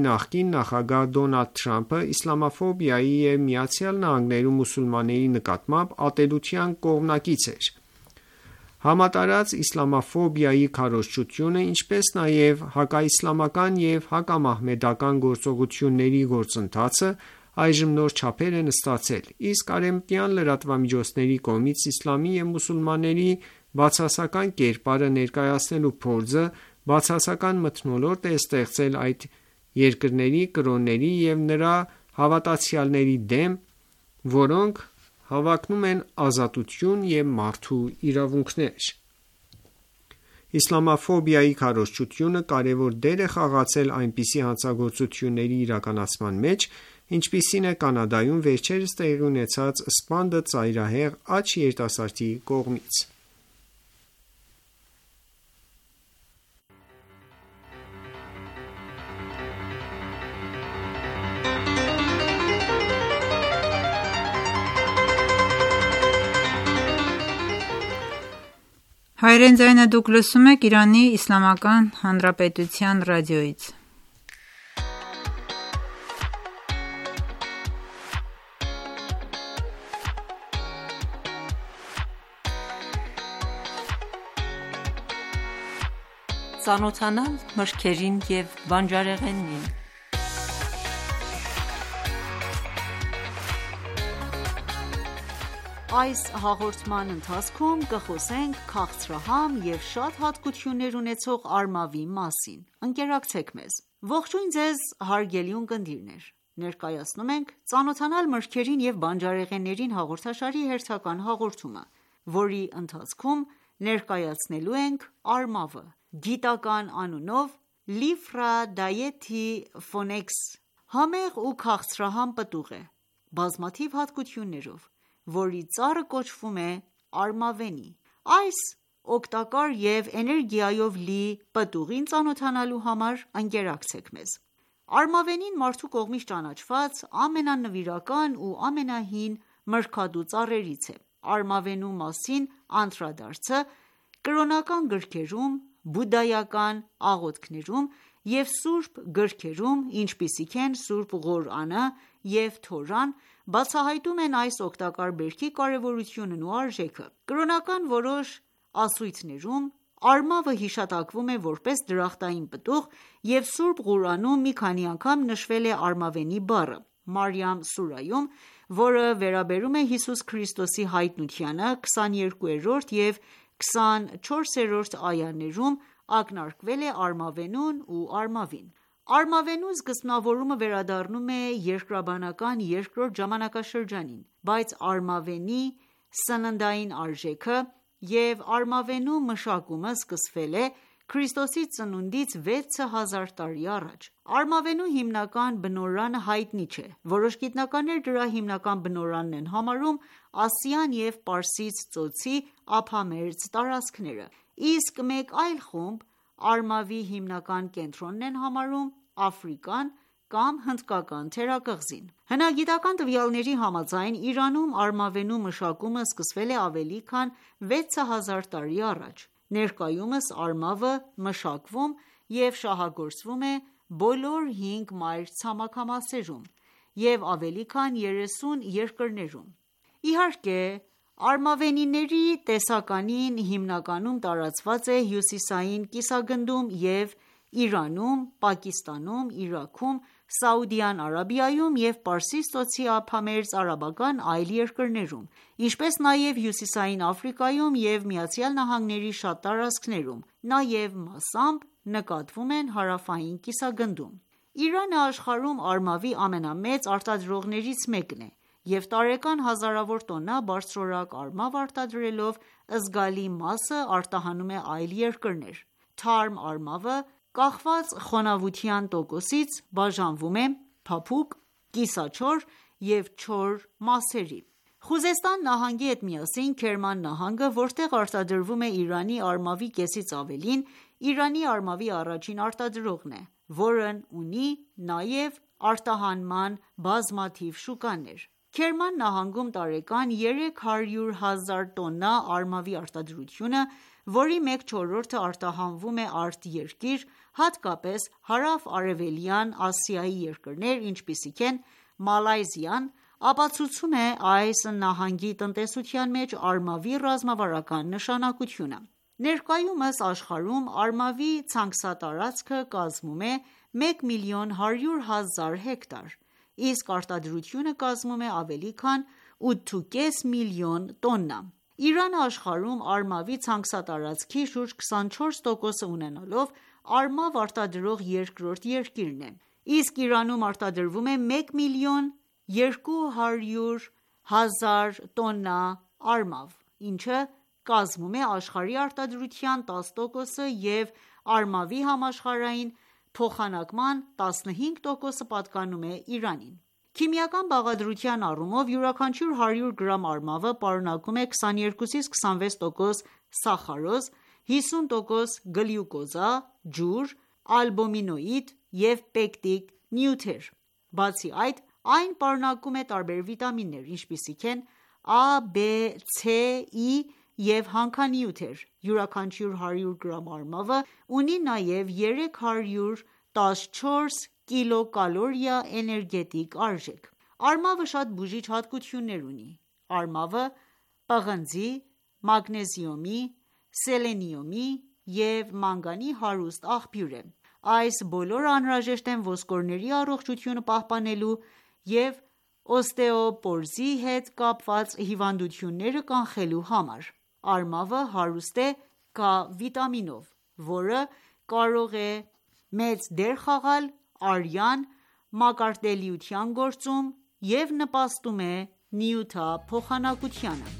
նախկին նախագահ Դոնալդ Թրամփը իսլամաֆոբիայի և ԱՄՆ-ում մուսուլմանների նկատմամբ ատելության կողմնակից էր: Համատարած իսլամաֆոբիայի քարոզչությունը, ինչպես նաև հակաիսլամական և հակամահմեդական գործողությունների գործընթացը այժմ նոր չափեր են ստացել, իսկ արևմտյան լրատվամիջոցների կողմից իսլամի և մուսուլմանների բացասական կերպարը ներկայացնելու փորձը բացասական մթնոլորտ է ստեղծել այդ երկրների կրոնների և նրանց հավատացյալների դեմ, որոնք հավակնում են ազատություն և մարդու իրավունքներ: Իսլամաֆոբիայի քարոզչությունը կարևոր դեր է խաղացել այնպիսի հանցագործությունների իրականացման մեջ, ինչպիսին է Կանադայում վերջերս տեղի ունեցած սպանդը ծայրահեղ աջ երիտասարդի կողմից: Ծանոթանալ մրգերին և բանջարեղենին: Այս հաղորդման ընթացքում կխոսենք քաղցրահամ և շատ հատկություններ ունեցող արմավի մասին: Ընկերակցեք մեզ: Ողջույն ձեզ հարգելի ունկնդիրներ: Ներկայացնում ենք «Ծանոթանալ մրգերին և բանջարեղեններին» հաղորդաշարի հերթական հաղորդումը, որի ընթացքում ներկայացնելու ենք արմավը: Գիտական անունով Lifra dietiphoneks համեղ ու քաղցրահամ պտուղ է, բազմաթիվ հատկություններով, որի ծառը կոչվում է արմավենի: Այս օգտակար և էներգիայով լի պտուղին ծանոթանալու համար ընկերակցեք մեզ: Արմավենին մարդու կողմից ճանաչված ամենանվիրական ու ամենահին մրգատու ծառերից է: Արմավենու մասին անդրադարձը կրոնական գրքերում, բուդդայական աղոթքներում և սուրբ գրքերում, ինչպիսիք են Սուրբ Ղուրանը և Թորան, բացահայտում են այս օգտակար բերքի կարևորությունն ու արժեքը: Կրոնական որոշ ասույթներում արմավը հիշատակվում է որպես դրախտային պտուղ և Սուրբ Ղուրանում մի քանի անգամ նշվել է արմավենի բառը: Մարիամ սուրայում, որը վերաբերում է Հիսուս Քրիստոսի հայտնությանը, քսաներկուերորդ և քսանչորսերորդ այաներում ակնարկվել է արմավենուն ու արմավին: Արմավենու սկզբնավորումը վերադառնում է երկրաբանական երկրորդ ժամանակաշրջանին, բայց արմավենի սննդային արժեքը և արմավենու մշակումը սկսվել է Քրիստոսի ծնունդից վեց հազար տարի առաջ: Արմավենու հիմնական բնօրրանը հայտնի չէ: Որոշ գիտնականներ դրա հիմնական բնօրրանն են համարում Ասիան և Պարսից ծոցի ափամերձ տարածքները, իսկ մեկ այլ խումբ արմավի հիմնական կենտրոնն են համարում Աֆրիկան կամ Հնդկական թերակղզին: Հնագիտական տվյալների համաձայն Իրանում արմավենու մշակումը սկսվել է ավելի քան վեց հազար տարի առաջ: Ներկայումս արմավը մշակվում և շահագործվում է բոլոր հինգ մայր-ցամաքամասերում և ավելի քան երեսուն երկրներում: Իհարկե արմավենիների տեսականին հիմնականում տարածված է հյուսիսային կիսագնդում և Իրանում, Պակիստանում, Իրաքում, Սաուդյան Արաբիայում և Պարսից ծոցի ափամերձ արաբական այլ երկրներում, ինչպես նաև հյուսիսային Աֆրիկայում և ԱՄՆ-ի շատ տարածքներում, նաև մասամբ նկատվում են հարավային կիսագնդում: Իրանը աշխարհում արմավի ամենամեծ արտադրողներից մեկն է և տարեկան հազարավոր տոննա բարձրորակ արմավ արտադրելով զգալի մասը արտահանում է այլ երկրներ։ Թարմ արմավը կախված խոնավության տոկոսից բաժանվում է փափուկ, կիսաչոր և չոր մասերի։ Խուզեստան նահանգի հետ միասին Քերման նահանգը, որտեղ արտադրվում է Իրանի արմավի կեսից ավելին, Իրանի արմավի առաջին արտադրողն է, որն ունի նաև արտահանման բազմաթիվ շուկաներ։ Քերման նահանգում տարեկան երեք հարյուր հազար տոննա արմավի արտադրությունը, որի մեկ չորրորդը արտահանվում է արտերկիր, հատկապես հարավ-արևելյան Ասիայի երկրներ, ինչպիսիք են Մալայզիան, ապացուցում է այս նահանգի տնտեսության մեջ արմավի ռազմավարական նշանակությունը։ Ներկայումս աշխարհում արմավի ցանքսատարածքը կազմում է մեկ միլիոն հարյուր հազար հեկտար, իսկ արտադրությունը կազմում է ավելի քան ութ.၅ միլիոն տոննա։ Իրանը աշխարհում արմավի ցանքսատարածքի շուրջ քսանչորս տոկոսը ունենալով արմավ արտադրող երկրորդ երկիրն է, իսկ Իրանում արտադրվում է մեկ միլիոն երկու հարյուր հազար տոննա արմավ, ինչը կազմում է աշխարհի արտադրության տասը տոկոսը և արմավի համաշխարհային փոխանակման տասնհինգ տոկոսը պատկանում է Իրանին։ Քիմիական բաղադրության առումով յուրաքանչյուր հարյուր գրամ արմավը պարունակում է քսաներկուից քսանվեց տոկոս սախարոզ, հիսուն տոկոս գլյուկոզա, ջուր, ալբումինոիդ և պեկտիկ նյութեր։ Բացի այդ, այն պարունակում է տարբեր վիտամիններ, ինչպիսիք են A, B, C, E և հանքանյութեր։ Յուրաքանչյուր հարյուր գրամ արմավը ունի նաև երեք հարյուր տասնչորս կիլոկալորիա էներգետիկ արժեք։ Արմավը շատ բուժիչ հատկություններ ունի։ Արմավը պղնձի, մագնեզիումի, սելենիումի և մանգանի հարուստ աղբյուր է։ Այս բոլորը անհրաժեշտ են ոսկորների առողջությունը պահպանելու և օստեոպորոզի հետ կապված հիվանդությունները կանխելու համար։ Արմավը հարուստ է K վիտամինով, որը կարող է մեծ դեր խաղալ արյան մակարդելիության գործում և նպաստում է նյութափոխանակությանը։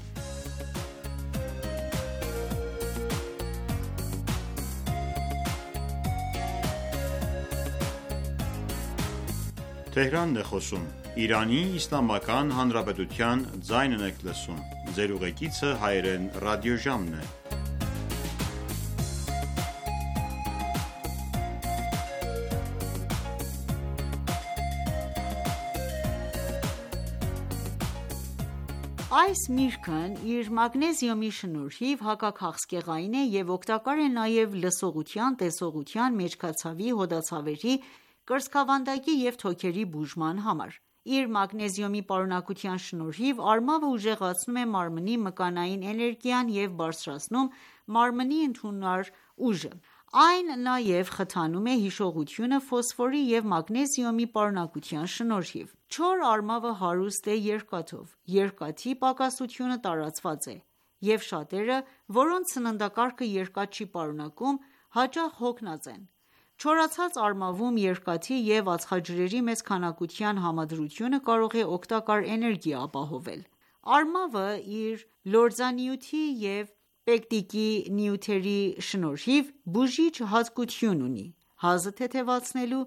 Այս միրգն իր մագնեզիումի շնորհիվ հակաքաղցկեղային է և օգտակար է նաև լսողության, տեսողության, մեջքացավի, հոդացավերի, կրծքավանդակի և թոքերի բուժման համար։ Իր մագնեզիումի պարունակության շնորհիվ արմավը ուժեղացնում է մարմնի մկանային էներգիան և բարձրացնում մարմնի ընդունար ուժը։ Այն նաև խթանում է հիշողությունը ֆոսֆորի և մագնեզիումի պարունակության շնորհիվ։ Չոր արմավը հարուստ է երկաթով։ Երկաթի պակասությունը տարածված է, և շատերը, որոնց սննդակարգը երկաթ չի պարունակում, հաճախ հոգնած են։ Չորացած արմավում երկաթի և ածխաջրերի մեծ քանակության համադրությունը կարող է օգտակար էներգիա ապահովել։ Արմավը իր լորձանյութի և պեկտիկի նյութերի շնորհիվ բուժիչ հատկություն ունի՝ հազը թեթևացնելու,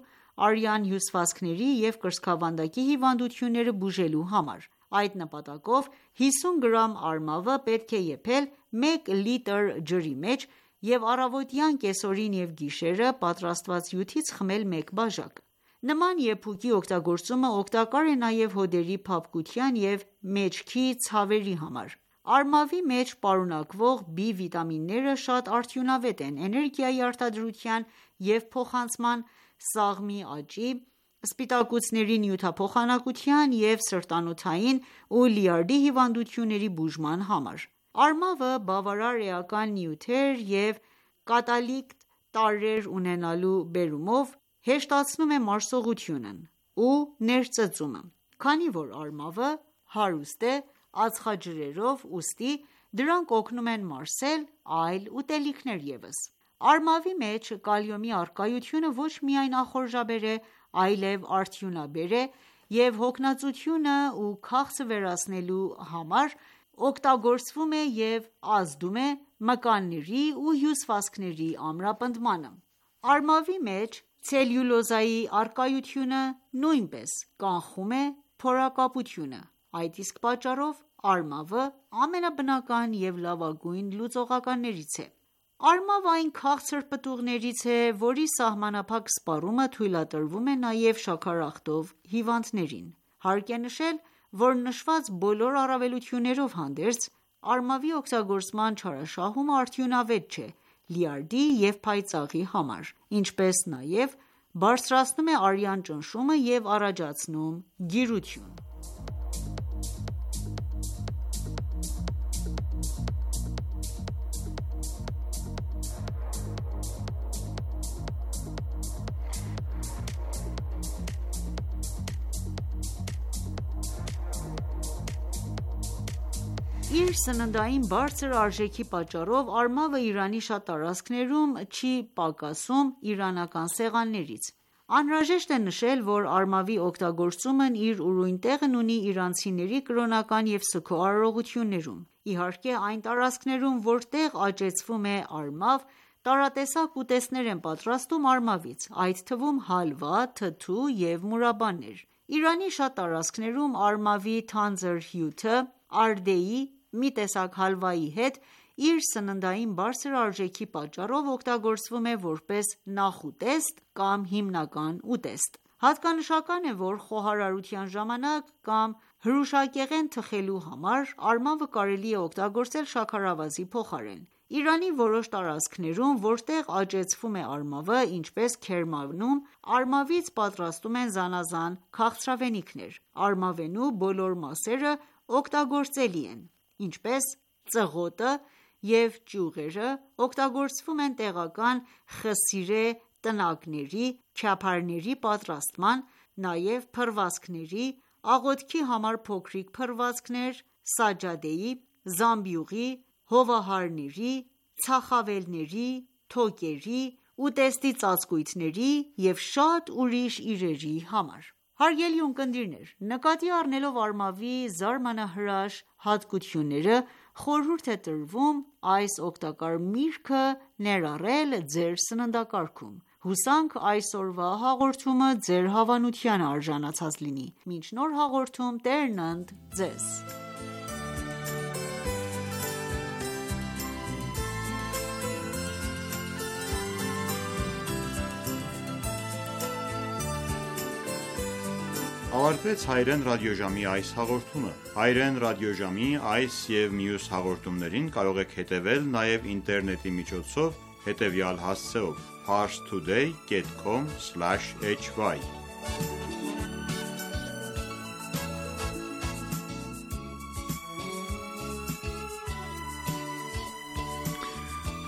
արյան հյուսվածքների և կրծքավանդակի հիվանդությունները բուժելու համար։ Այդ նպատակով հիսուն գրամ արմավը պետք է եփել մեկ լիտր ջրի մեջ և առավոտյան, կեսօրին և գիշերը պատրաստված հյութից խմել մեկ բաժակ։ Նման եփուկի օգտագործումը օգտակար է նաև հոդերի փափկության և մեջքի ցավերի համար։ Արմավի մեջ պարունակվող B վիտամինները շատ արդյունավետ են էներգիայի արտադրության և փոխանցման, սաղմի աճի, սպիտակուցների նյութափոխանակության և սրտանոթային ու լյարդի հիվանդությունների բուժման համար։ Արմավը բավարար էական նյութեր և կատալիկտ տարրեր ունենալու բերումով հեշտացնում է մարսողությունն ու ներծծումը։ Քանի որ արմավը հարուստ է ածխաջրերով, ուստի դրանք օգնում են մարսել այլ ուտելիքներ ևս։ Արմավի մեջ կալիումի առկայությունը ոչ միայն ախորժաբեր է, այլև արդյունաբեր է և հոգնածությունը ու քաղցը վերացնելու համար օգտագործվում է և ազդում է մկանների ու հյուսվածքների ամրապնդմանը: Արմավի մեջ ցելյուլոզայի առկայությունը նույնպես կանխում է փորակապությունը: Այդ իսկ պատճառով արմավը ամենաբնական և լավագույն լուծողականներից է: Արմավը այն քաղցր պտուղներից է, որի սահմանափակ սպառումը թույլատրվում է նաև շաքարախտով հիվանդներին: Հարկ է նշել, որ նշված բոլոր առավելություններով հանդերձ, արմավի օգտագործման չարաշահումը արդյունավետ չէ լյարդի և փայծաղի համար, ինչպես նաև բարձրացնում է արյան ճնշումը և առաջացնում գիրություն: Իր սննդային բարձր արժեքի պատճառով արմավը Իրանի շատ տարածքներում չի պակասում իրանական սեղաններից: Անհրաժեշտ է նշել, որ արմավի օգտագործումն իր ուրույն տեղն ունի իրանցիների կրոնական և սգո արարողություններում: Իհարկե այն տարածքներում, որտեղ աճեցվում է արմավ, տարատեսակ ուտեստներ են պատրաստում արմավից, այդ թվում հալվա, թթու և մուրաբաներ: Իրանի շատ տարածքներում արմավի թանձր հյութը արդեի մի տեսակ հալվայի հետ իր սննդային բարձր արժեքի պատճառով օգտագործվում է որպես նախուտեստ կամ հիմնական ուտեստ: Հատկանշական է, որ խոհարարության ժամանակ կամ հրուշակեղեն թխելու համար արմավը կարելի է օգտագործել շաքարավազի փոխարեն: Իրանի որոշ տարածքներում, որտեղ աճեցվում է արմավը, ինչպես Քերմանում, արմավից պատրաստում են զանազան քաղցրավենիքներ: Արմավենու բոլոր մասերը օգտագործելի են, ինչպես ծղոտը և ճյուղերը օգտագործվում են տեղական խսիրե տնակների, քյափարների պատրաստման, նաև փռվածքների, աղոթքի համար փոքրիկ փռվածքներ, սաջադեի, զամբյուղի, հովահարների, ցախավելների, թոկերի, ուտեստի ծածկույթների և շատ ուրիշ իրերի համար: Հարգելի ունկնդիրներ, նկատի առնելով արմավի զարմանահրաշ հատկությունները, խորհուրդ է տրվում այս օգտակար միրգը ներառել ձեր սննդակարգում: Հուսանք այսօրվա հաղորդումը ձեր հավանությանը արժանացած լինի: Մինչ նոր հաղորդում Տերն ընդ Ձեզ: Ավարտվեց հայրեն ռադիոժամի այս հաղորդումը: Հայրեն ռադիոժամի այս և մյուս հաղորդումներին կարող եք հետևել նաև ինտերնետի միջոցով հետևյալ հասցեով՝ parstoday dot com slash h y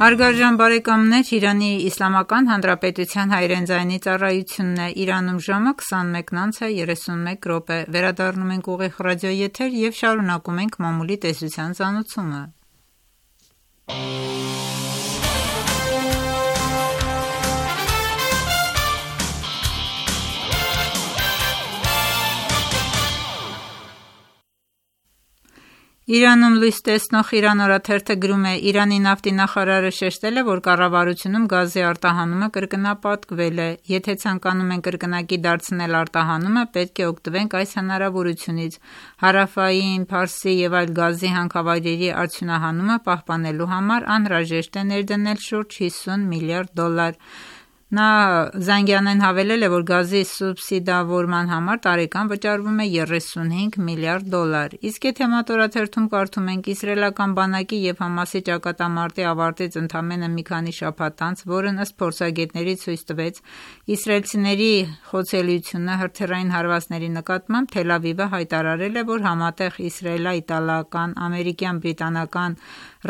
Հարգարժան բարեկամներ, Իրանի Իսլամական Հանրապետության հայրեն ձայնի ծառայությունն է: Իրանում ժամը քսանմեկն անց է երեսունմեկ րոպե: Վերադառնում ենք ուղիղ ռադիոեթեր և շարունակում ենք մամուլի տեսության ծանոթումը: Իրանում լույս տեսնող «Իրան» օրաթերթը գրում է. «Իրանի նավթի նախարարը շեշտել է, որ կառավարությունում գազի արտահանումը կրկնապատկվել է: Եթե ցանկանում ենք կրկնակի դարձնել արտահանումը, պետք է օգտվենք այս հնարավորությունից: Հարավային Փարսի և այլ գազի հանքավայրերի արդյունահանումը պահպանելու համար անհրաժեշտ է ներդնել շուրջ հիսուն միլիարդ դոլար»: Նա Զանգանեն հավելել է, որ գազի սուբսիդավորման համար տարեկան վճարվում է երեսունհինգ միլիարդ դոլար: Իսկ եթե «Մատոր» օրաթերթում կարդում ենք. «Իսրայելական բանակի և ՀԱՄԱՍ-ի ճակատամարտի ավարտից ընդամենը մի քանի շաբաթ անց, որն ըստ փորձագետների ցույց տվեց իսրայելցիների խոցելիությունը հրթիռային հարվածների նկատմամբ, Թել Ավիվը հայտարարել է, որ համատեղ իսրայելա-իտալական-ամերիկյան- բրիտանական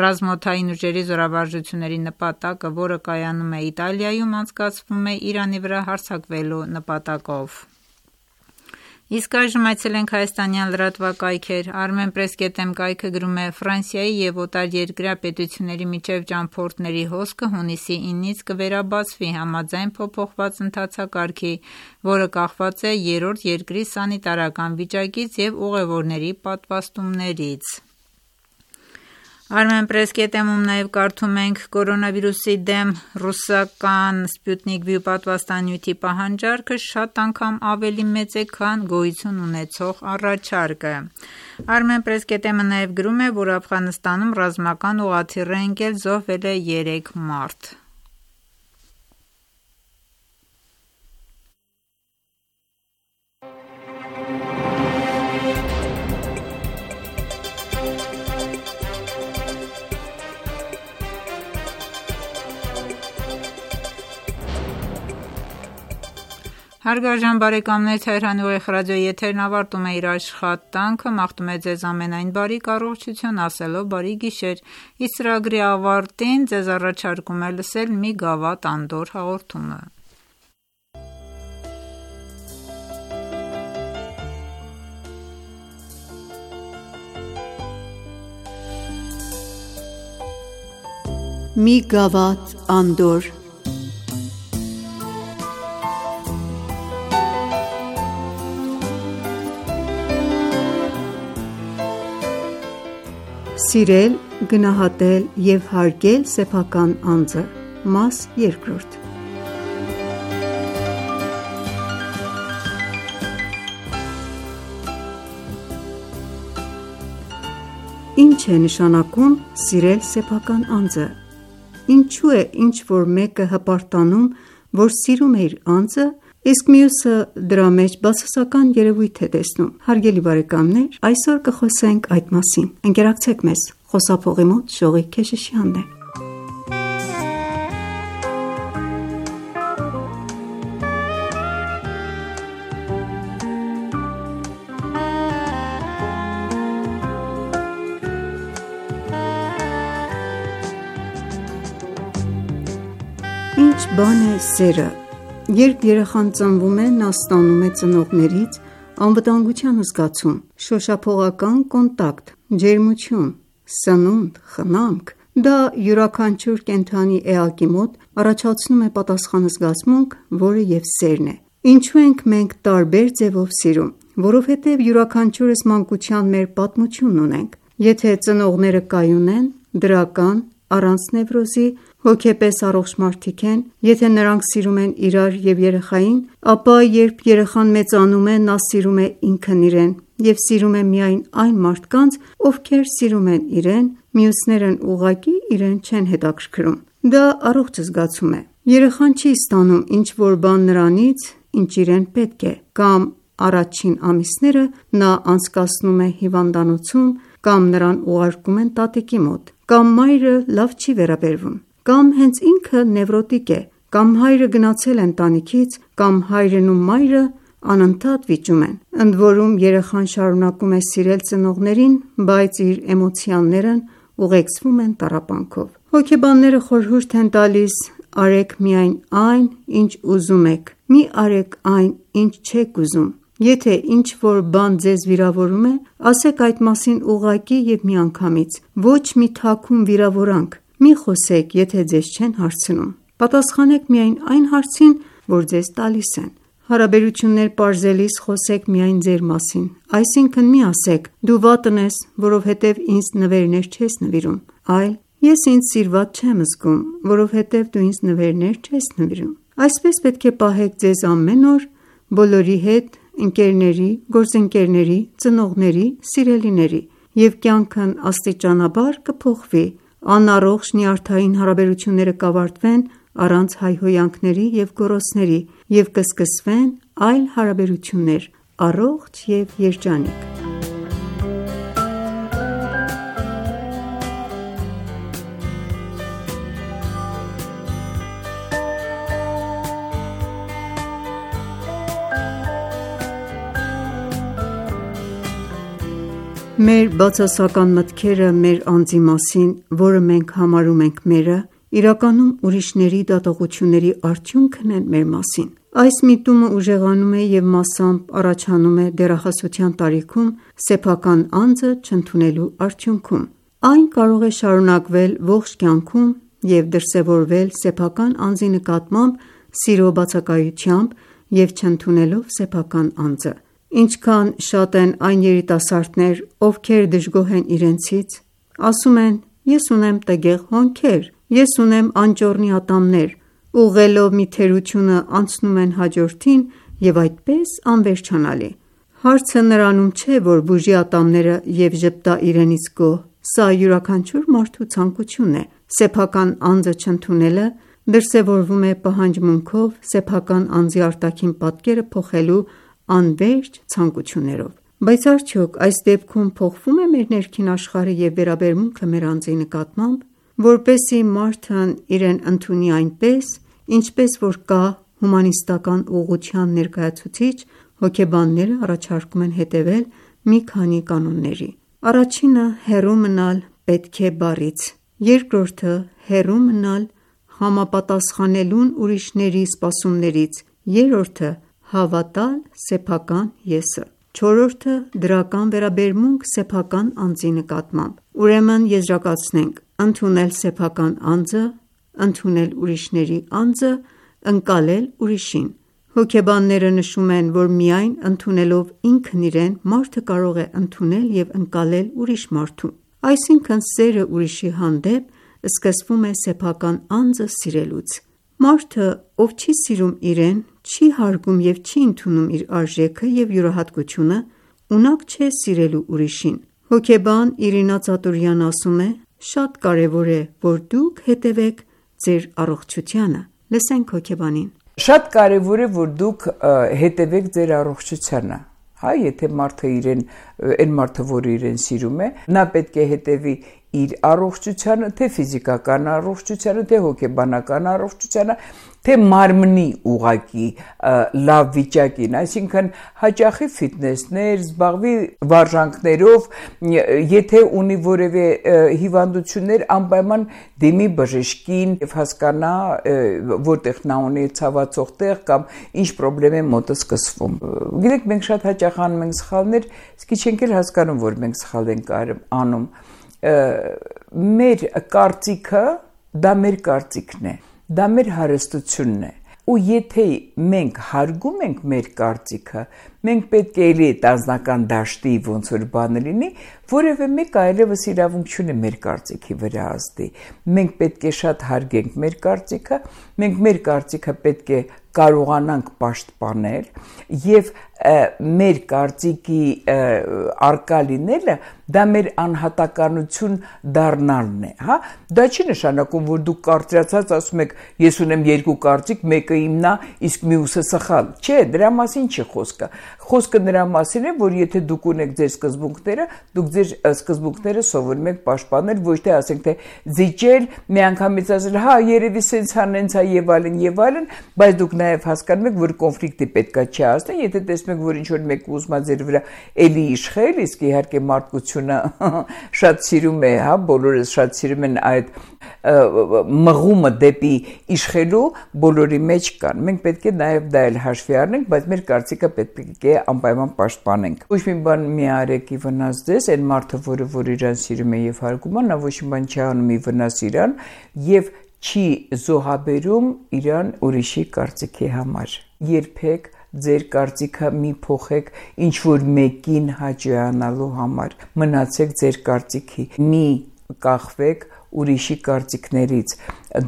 ռազմաօդային ուժերի զորավարժությունների նպատակը, որը կայանում է Իտալիայում, անցկացվում է Իրանի վրա հարձակվելու նպատակով»: Իսկ այժմ այցելենք հայաստանյան լրատվակայքեր։ Armenpress.am կայքը գրում է. Ֆրանսիայի և օտարերկրյա պետությունների միջև ճամփորդների հոսքը հունիսի ինից կվերաբացվի համաձայն փոփոխված ընթացակարգի, որը կախված է երրորդ երկրի սանիտարական վիճակից և ուղևորների պատվաստումներից։ Armenpress.am-ում նաև կարդում ենք. Կորոնավիրուսի դեմ ռուսական Sputnik V պատվաստանյութի պահանջարկը շատ անգամ ավելի մեծ է, քան գոյություն ունեցող առաջարկը։ Armenpress.am-ը նաև գրում է, որ Աֆղանստանում ռազմական ուղղաթիռ է ընկել, զոհվել է երեք մարդ։ Հարգարժան բարեկամներ, Թեհրանի ուղիղ ռադիոյի եթերն ավարտում է իր աշխատանքը, մաղթում է ձեզ ամենայն բարիք առողջություն, ասելով բարի գիշեր։ Իսկ ծրագրի ավարտին ձեզ առաջարկում է լսել մի գավաթ անդորր հաղորդումը։ Մի գավաթ անդորր Սիրել, գնահատել և հարգել սեփական անձը, մաս երկրորդ։ Ինչ է նշանակում սիրել սեփական անձը։ Ինչու է ինչ-որ մեկը հպարտանում, որ սիրում է իր անձը, իսկ մյուսը դրա մեջ բացասական երևույթ է տեսնում։ Հարգելի բարեկամներ, այսօր կխոսենք այդ մասին։ Ընկերակցեք մեզ։ Խոսափողի մոտ Շողիկ Քեշիշյանն է։ Ինչ բան է սերը։ Երբ երեխան ծնվում է, նա ստանում է ծնողներից անվտանգության զգացում, շոշափողական կոնտակտ, ջերմություն, սնունդ, խնամք։ Դա յուրաքանչյուր կենդանի էակի մոտ առաջացնում է պատասխան զգացմունք, որը և սերն է։ Ինչու ենք մենք տարբեր ձևով սիրում։ Որովհետև յուրաքանչյուրս մանկության մեր պատմությունն ունենք։ Եթե ծնողները կայուն են, դրական, առանց նևրոզի, հոգեպես առողջ մարդիկ են, եթե նրանք սիրում են իրար և երեխային, ապա երբ երեխան մեծանում է, նա սիրում է ինքն իրեն և սիրում է միայն այն մարդկանց, ովքեր սիրում են իրեն, մյուսներն ուղղակի իրեն չեն հետաքրքրում։ Դա առողջ զգացում է։ Երեխան չի ստանում ինչ-որ բան նրանից, ինչ իրեն պետք է, կամ առաջին ամիսները նա անցկացնում է հիվանդանոցում, կամ նրան ուղարկում են տատիկի մոտ, կամ մայրը լավ չի վերաբերվում, կամ հենց ինքը նևրոտիկ է, կամ հայրը գնացել է ընտանիքից, կամ հայրն ու մայրը անընդհատ վիճում են։ Ընդ որում երեխան շարունակում է սիրել ծնողներին, բայց իր էմոցիաներն ուղեկցվում են տառապանքով։ Հոգեբանները խորհուրդ են տալիս. արեք միայն այն, ինչ ուզում եք, մի արեք այն, ինչ չեք ուզում։ Եթե ինչ-որ բան ձեզ վիրավորում է, ասեք այդ մասին ուղղակի և միանգամից, ոչ մի թաքուն վիրավորանք։ Մի խոսեք, եթե ձեզ չեն հարցնում։ Պատասխանեք միայն այն հարցին, որ ձեզ տալիս են։ Հարաբերություններ պարզելիս խոսեք միայն ձեր մասին, այսինքն մի ասեք. դու վատն ես, որովհետև ինձ նվերներ չես նվիրում, այլ ես ինձ սիրված չեմ զգում, որովհետև դու ինձ նվերներ չես նվիրում։ Այսպես պետք է պահեք ձեզ ամեն օր, բոլորի հետ, ընկերների, գործընկերների, ծնողների, սիրելիների, և կյանքն աստիճանաբար կփոխվի։ Անառողջ նյարդային հարաբերությունները կավարտվեն առանց հայհոյանքների և գոռոցների, և կսկսվեն այլ հարաբերություններ, առողջ և երջանիկ։ Մեր բացասական մտքերը մեր անձի մասին, որը մենք համարում ենք մերը, իրականում ուրիշների դատողությունների արդյունքն են մեր մասին։ Այս միտումը ուժեղանում է և մասամբ առաջանում է դեռահասության տարիքում սեփական անձը չընդունելու արդյունքում: Այն կարող է շարունակվել ողջ կյանքում և դրսևորվել սեփական անձի նկատմամբ սիրո բացակայությամբ և չընդունելով սեփական անձը: Ինչքան շատ են այն երիտասարդներ, ովքեր դժգոհ են իրենցից: Ասում են. «Ես ունեմ տգեղ հոնքեր, ես ունեմ անճոռնի ատամներ», ուղղելով մի թերությունը անցնում են հաջորդին և այդպես անվերջանալի: Հարցը նրանում չէ, որ բուժի ատամները և ժպտա իրենից գոհ: Սա յուրաքանչյուր մարդու ցանկությունն է: Սեփական անձը չընդունելը դրսևորվում է պահանջմունքով սեփական անձի արտաքին պատկերը փոխելու անվերջ ցանկություններով: Բայց արդյոք այս դեպքում փոխվո՞ւմ է մեր ներքին աշխարհը և վերաբերմունքը մեր անձի նկատմամբ: Որպեսզի մարդն իրեն ընդունի այնպես, ինչպես որ կա հումանիստական ուղղության ներկայացուցիչ, հոգեբանները առաջարկում են հետևել մի քանի կանոնների: Առաջինը հեռու մնալ «պետք է» բառից, երկրորդը հեռու մնալ համապատասխանելուն ուրիշների սպասումներից, երրորդը հավատալ սեփական ես-ը, չորրորդը դրական վերաբերմունք սեփական անձի նկատմամբ: Ուրեմն եզրակացնենք. ընդունել սեփական անձը, ընդունել ուրիշների անձը, ընկալել ուրիշին: Հոգեբանները նշում են, որ միայն ընդունելով ինքն իրեն, մարդը կարող է ընդունել և ընկալել ուրիշ մարդու: Այսինքն սերը ուրիշի հանդեպ սկսվում է սեփական անձը սիրելուց: Մարդը, ով չի սիրում իրեն, չի հարգում և չի ընդունում իր արժեքը և յուրահատկությունը, ունակ չէ սիրելու ուրիշին: Հոգեբան Իրինա Ծատուրյանն ասում է. «Շատ կարևոր է, որ դուք հետևեք ձեր առողջությանը»: Լսենք հոգեբանին. Շատ կարևոր է, որ դուք հետևեք ձեր առողջությանը: Եթե մարդը իրեն, այն մարդը, որը իրեն սիրում է, նա պետք է հետևի իր առողջությանը, թե ֆիզիկական առողջությանը, թե հոգեբանական առողջությանը, թե մարմնի ուղղակի լավ վիճակին: Այսինքն հաճախի ֆիթնեսներ, զբաղվի վարժանքներով, եթե ունի որևէ հիվանդություններ, անպայման դիմի բժշկին և հասկանա որտեղ նա ունի ցավացող տեղ կամ ինչ պրոբլեմ է մոտը սկսվում: Գիտեք, մենք շատ հաճախ անում ենք սխալներ, իսկի չենք էլ հասկանում, որ մենք սխալ ենք անում: Մեր կարծիքը դա մեր կարծիքն է, դա մեր հարստությունն է: Ու եթե մենք հարգում ենք մեր կարծիքը, մենք պետք է էլի այդ անձնական դաշտի ոնց որ բանը լինի, որևէ մեկ այլևս իրավունք չունի մեր կարծիքի վրա ազդի: Մենք պետք է շատ հարգենք մեր կարծիքը, մենք մեր կարծիքը պետք է կարողանանք պաշտպանել և մեր կարծիքի առկա լինելը դա մեր անհատականություն դառնալն է: Դա չի նշանակում, որ դուք կարծրացած ասում եք. ես ունեմ երկու կարծիք, մեկը իմն է, իսկ մյուսը սխալ: Չէ, դրա մասին չի խոսքը: Խոսքը նրա մասին է, որ եթե դուք ունեք ձեր սկզբունքները, դուք ձեր սկզբունքները սովորում եք պաշտպանել, ոչ թե ասենք թե զիջել, միանգամից ասել հա երևի սենց ա նենց ա և այլն և այլն, բայց դուք նաև հասկանում եք, որ կոնֆլիկտի պետքա չի հասնել: Եթե տեսնում եք, որ ինչ-որ մեկը ուզում է ձեր վրա էլի իշխել, իսկ իհարկե մարդկությունը շատ սիրում է, բոլորս շատ սիրում են այդ մղումը դեպի իշխելու, բոլորի մեջ կան: Մենք պետք է նաև դա էլ հաշվի առնենք, բայց մեր կարծիքը պետք է անպայման պաշտպանենք: Ոչ մի բան մի արեք ի վնաս ձեզ: Այն մարդը, որը որ իրան սիրում է և հարգում է, նա ոչ մի բան չի անում ի վնաս իրան և չի զոհաբերում իրան ուրիշի կարծիքի համար: Երբեք ձեր կարծիքը մի փոխեք ինչ-որ մեկին հաճոյանալու համար: Մնացեք ձեր կարծիքի, մի կախվեք ուրիշի կարծիքներից: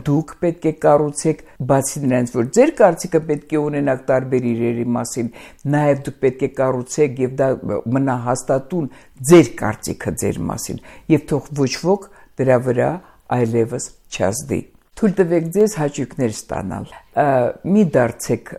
Դուք պետք է կառուցեք, բացի նրանից, որ ձեր կարծիքը պետք է ունենաք տարբեր իրերի մասին, նաև դուք պետք է կառուցեք և դա մնա հաստատուն ձեր կարծիքը ձեր մասին և թող ոչ ոք դրա վրա այլևս չազդի: Թույլ տվեք ձեզ հաճույքներ ստանալ: Մի դարձեք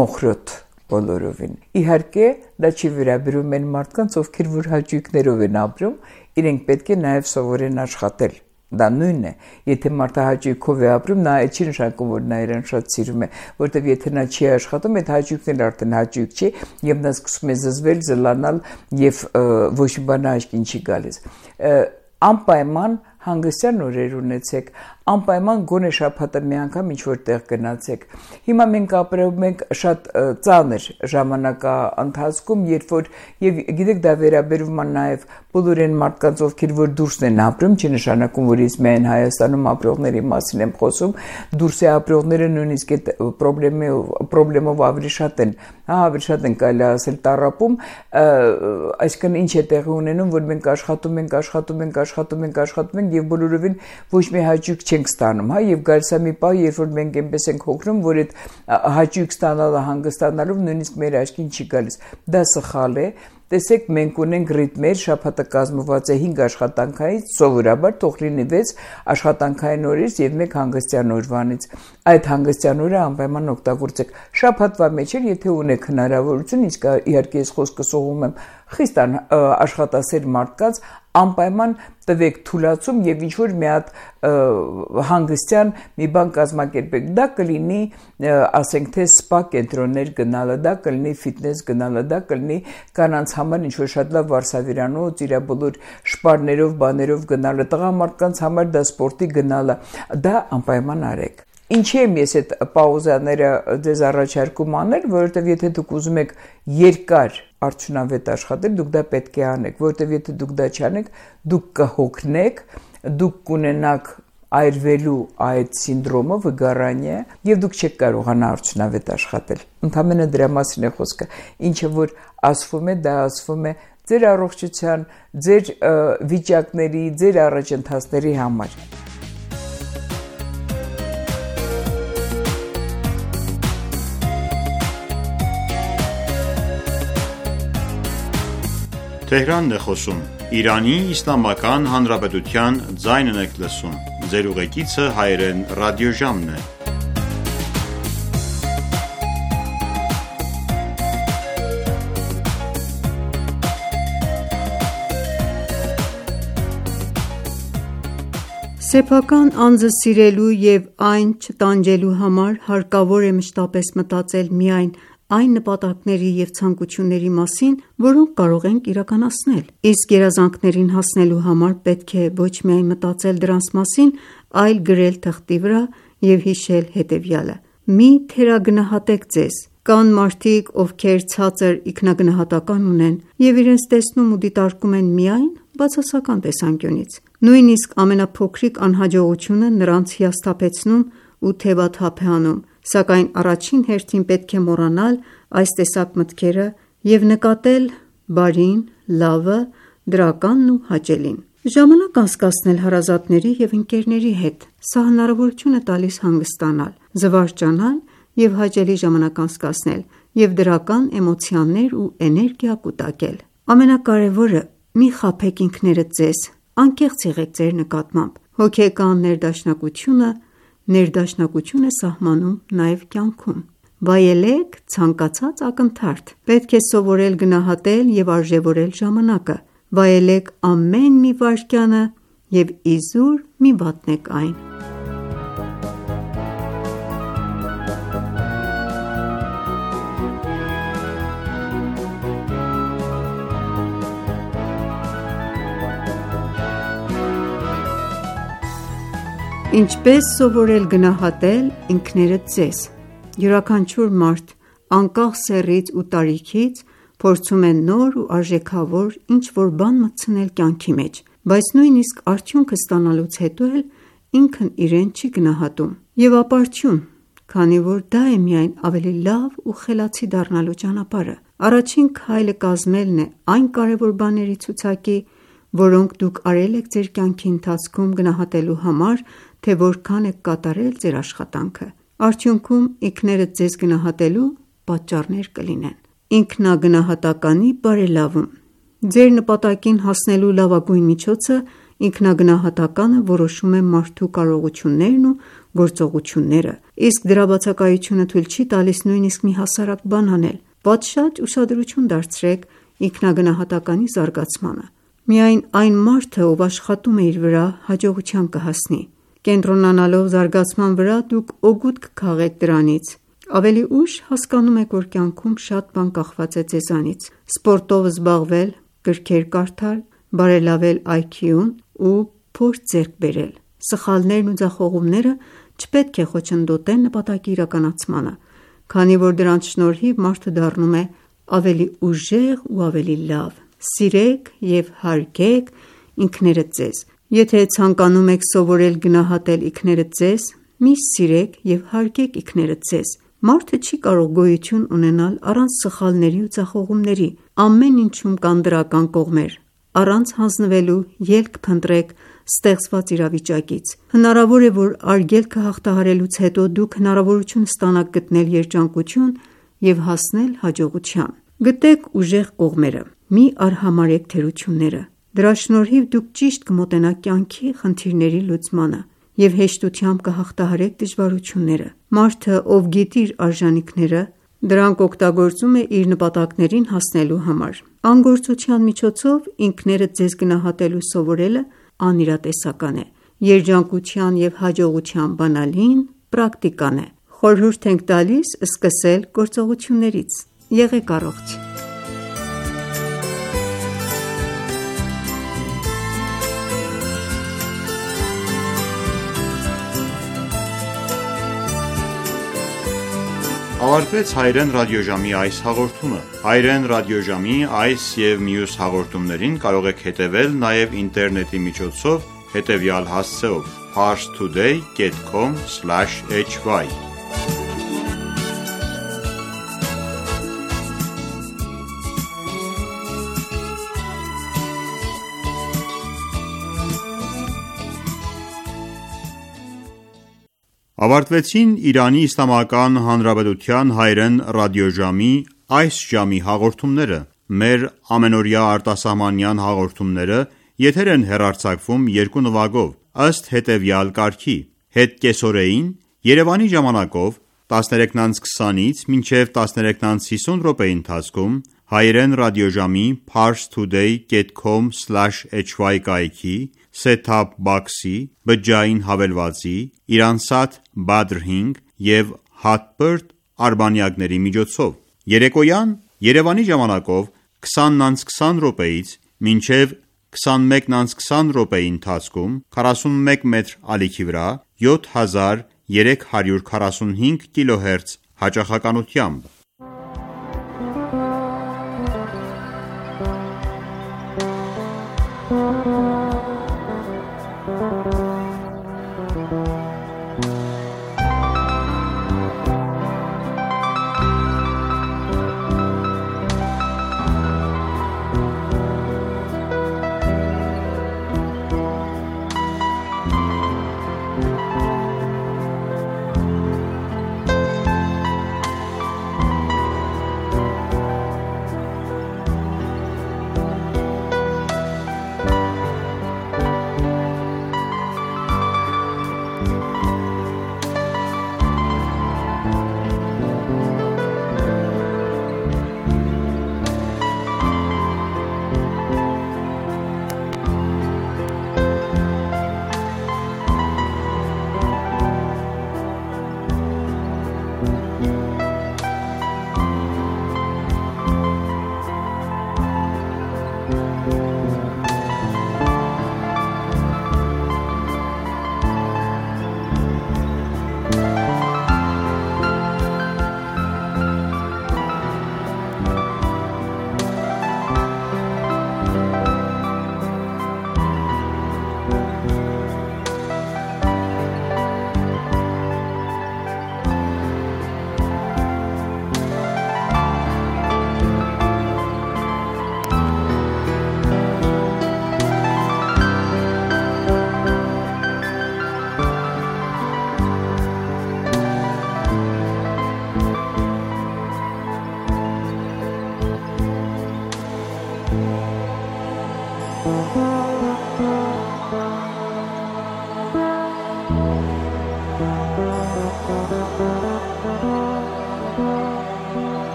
մոխրոտ բոլորովին: Իհարկե դա չի վերաբերում այն մարդկանց, ովքեր որ հաճույքներով են ապրում, իրենք պետք է նաև սովորեն աշխատել: Դա նույնն է: Եթե մարդը հաճույքով է ապրում, նա այդ չի նշանակում, որ նա իրեն շատ սիրում է, որովհետև եթե նա չի աշխատում, այդ հաճույքն էլ արդեն հաճույք չի և նա սկսում է զզվել, զլանալ և ոչ մի բան աչքին չի գալիս: Անպայման հանգստյան օրեր ունեցեք, անպայման գոնե շաբաթը մի անգամ ինչ-որ տեղ գնացեք։ Հիմա մենք ապրում ենք շատ ծանր ժամանակաընթացքում, երբ որ եւ գիտեք դա վերաբերում է նաեւ բոլոր այն մարդկանց, ովքեր որ դուրսն են ապրում, չի նշանակում, որ ես միայն Հայաստանում ապրողների մասին եմ խոսում, դուրսի ապրողները նույնիսկ այդ խնդրեմով խնդրեմով ավելի շատ են, հա, ավելի շատ են կարելի ասել տառապում, այսինքն ինչ է տեղի ունենում, որ մենք աշխատում ենք, աշխատում ենք, աշխատում ենք, աշխատում ենք եւ բոլորովին ոչ մի հաճույք չենք ստանում, հա, եւ գալիս է մի պահ, երբ որ մենք այնպես ենք հոգնում, որ այդ հաճույք ստանալը հանգստանալով նույնիսկ մեր աչքին չի գալիս։ Դա սխալ է։ Տեսեք, մենք ունենք ռիթմեր, շաբաթը կազմված է հինգ աշխատանքայից, սովորաբար թող լինի վեց աշխատանքային օրից եւ մեկ հանգստյան օրվանից։ Այդ հանգստյան օրը անպայման օգտագործեք։ Շաբաթվա մեջ էլ եթե ունեք հնարավորություն, իսկ իհարկե ես խոսքը սողում եմ խիստ աշխատասեր մարդկանց, անպայման տվեք թուլացում եւ ինչ որ մի հատ հանգստյան մի բան կազմակերպեք։ Դա կլինի, ասենք թե սպա կենտրոններ գնալը, դա կլինի ֆիթնես գնալը, դա կլինի կանանց համար ինչ որ շատ լավ վարսավիրանոց, իր բոլոր շպարներով, բաներով գնալը, տղամարդկանց համար դա սպորտի գնալը, դա անպայման արեք։ Ինչի եմ ես այդ պաուզաները ձեզ առաջարկում անել, որովհետև եթե դուք ուզում եք երկար արդյունավետ աշխատել, դուք դա պետք է անեք, որովհետև եթե դուք դա չանեք, դուք կհոգնեք, դուք կունենաք այրվելու այդ սինդրոմը, վգարանիա, եւ դուք չեք կարողանա արդյունավետ աշխատել։ Ընդհանրապես դրա մասին է խոսքը։ Ինչը որ ասվում է, դա ասվում է ձեր առողջության, ձեր վիճակների, ձեր առաջընթացների համար։ Թեհրանն է խոսում։ Իրանի Իսլամական Հանրապետության ձայնն եք լսում։ Ձեր ուղեկիցը հայերեն ռադիոժամն է։ Սեփական անձը սիրելու եւ այն չտանջելու համար հարկավոր է մշտապես մտածել միայն այն նպատակների եւ ցանկությունների մասին, որոնք կարող ենք իրականացնել։ Իսկ երազանքներին հասնելու համար պետք է ոչ միայն մտածել դրանց մասին, այլ գրել թղթի վրա եւ հիշել հետեւյալը. մի թերագնահատեք ձեզ։ Կան մարդիկ, ովքեր ցածր ինքնագնահատական ունեն եւ իրենց տեսնում ու դիտարկում են միայն բացասական տեսանկյունից։ Նույնիսկ ամենափոքրիկ անհաջողությունը նրանց հիասթափեցնում ու թևաթափ է անում, սակայն առաջին հերթին պետք է մոռանալ այս տեսակ մտքերը եւ նկատել բարին, լավը, դրականն ու հաճելին։ Ժամանակ անցկացնել հարազատների եւ ընկերների հետ, սա հնարավորություն է տալիս հանգստանալ, զվարճանալ եւ հաճելի ժամանակ անցկացնել եւ դրական էմոցիաներ ու էներգիա կուտակել։ Ամենակարևորը՝ մի խաբեք ինքներդ ձեզ, անկեղծ եղեք ձեր նկատմամբ։ Հոգեկան ներդաշնակությունը ներդաշնակություն է սահմանում նաև կյանքում։ Վայելեք ցանկացած ակնթարթ։ Պետք է սովորել գնահատել եւ արժևորել ժամանակը։ Վայելեք ամեն մի վայրկյանը եւ իզուր մի վատնեք այն։ Ինչպես սովորել գնահատել ինքներդ ձեզ։ Յուրաքանչյուր մարդ անկախ սեռից ու տարիքից փորձում է նոր ու արժեքավոր ինչ-որ բան մտցնել կյանքի մեջ, բայց նույնիսկ արդյունքը ստանալուց հետո էլ ինքն իրեն չի գնահատում։ Եվ ապարդյուն, քանի որ դա է միայն ավելի լավ ու խելացի դառնալու ճանապարհը։ Առաջին քայլը կազմելն է այն կարևոր բաների ցուցակի, որոնք դուք արել եք ձեր կյանքի ընթացքում գնահատելու համար, թե որքան եք կատարել ձեր աշխատանքը։ Արդյունքում ինքներդ ձեզ գնահատելու պատճառներ կլինեն։ Ինքնագնահատականի բարելավում։ Ձեր նպատակին հասնելու լավագույն միջոցը ինքնագնահատականը որոշում է մարդու կարողություններն ու գործողությունները, իսկ դրա բացակայությունը թույլ չի տալիս նույնիսկ մի հասարակ բան անել։ Պատշաճ ուշադրություն դարձրեք ինքնագնահատականի զարգացմանը։ Միայն այն մարդը, ով աշխատում է իր վրա, հաջողության կհասնի։ Կենտրոնանալով զարգացման վրա դուք օգուտ կքաղեք դրանից։ Ավելի ուշ հասկանում եք, որ կյանքում շատ բան կախված է ձեզանից։ Սպորտով զբաղվել, գրքեր կարդալ, բարելավել այ քյուն ու փորձ ձեռք բերել։ Սխալներն ու ձախողումները չպետք է խոչընդոտեն նպատակի իրականացմանը, քանի որ դրանց շնորհիվ մարդը դառնում է ավելի ուժեղ ու ավելի լավ: Սիրեք և հարգեք ինքներդ ձեզ: Եթե ցանկանում եք սովորել գնահատել ինքներդ ձեզ, միշտ սիրեք և հարգեք ինքներդ ձեզ: Մարդը չի կարող գոյություն ունենալ առանց սխալների ու ձախողումների: Ամեն ինչում կան դրական կողմեր: Առանց հանձնվելու ելք փնտրեք ստեղծված իրավիճակից: Հնարավոր է, որ արգելքը հաղթահարելուց հետո դուք հնարավորություն ստանաք գտնել երջանկություն և հասնել հաջողության: Գտեք ուժեղ կողմերը: Մի արհամարհեք թերությունները: Դրա շնորհիվ դուք ճիշտ կմոտենաք կյանքի խնդիրների լուծմանը և հեշտությամբ կհաղթահարեք դժվարությունները: Մարդը, ով գիտի իր արժանինքները, դրանք օգտագործում է իր նպատակներին հասնելու համար: Անգործության միջոցով ինքներդ ձեզ գնահատելու սովորելը անիրատեսական է: Երջանկության և հաջողության բանալին պրակտիկան է: Խորհուրդ ենք տալիս սկսել գործողություններից: Եղեք առողջ: Ավարտվեց հայրեն ռադիոժամի այս հաղորդումը: Հայրեն ռադիոժամի այս և մյուս հաղորդումներին կարող եք հետևել նաև ինտերնետի միջոցով հետևյալ հասցեով՝ parstoday dot com slash h y Ավարտվեցին Իրանի Իսլամական Հանրապետության հայրեն ռադիոժամի այս ժամի հաղորդումները: Մեր ամենօրյա արտասահմանյան հաղորդումները եթեր են հեռարձակվում երկու նվագով, ըստ հետևյալ կարգի՝ հետ կեսօրեին Երևանի ժամանակով տասներեքն անց քսանից մինչև տասներեքն անց հիսուն րոպեի ընթացքում հայրեն ռադիոժամի parstoday dot com slash h y կայքի, set-top box-ի, բջջային հավելվածի, Iransat Badr հինգ և Hotbird արբանյակների միջոցով: Երեկոյան Երևանի ժամանակով քսանն անց քսան րոպեից մինչև քսանմեկն անց քսան րոպեի ընթացքում քառասունմեկ մետր ալիքի վրա յոթ հազար երեք հարյուր քառասունհինգ կիլոհերց հաճախականությամբ: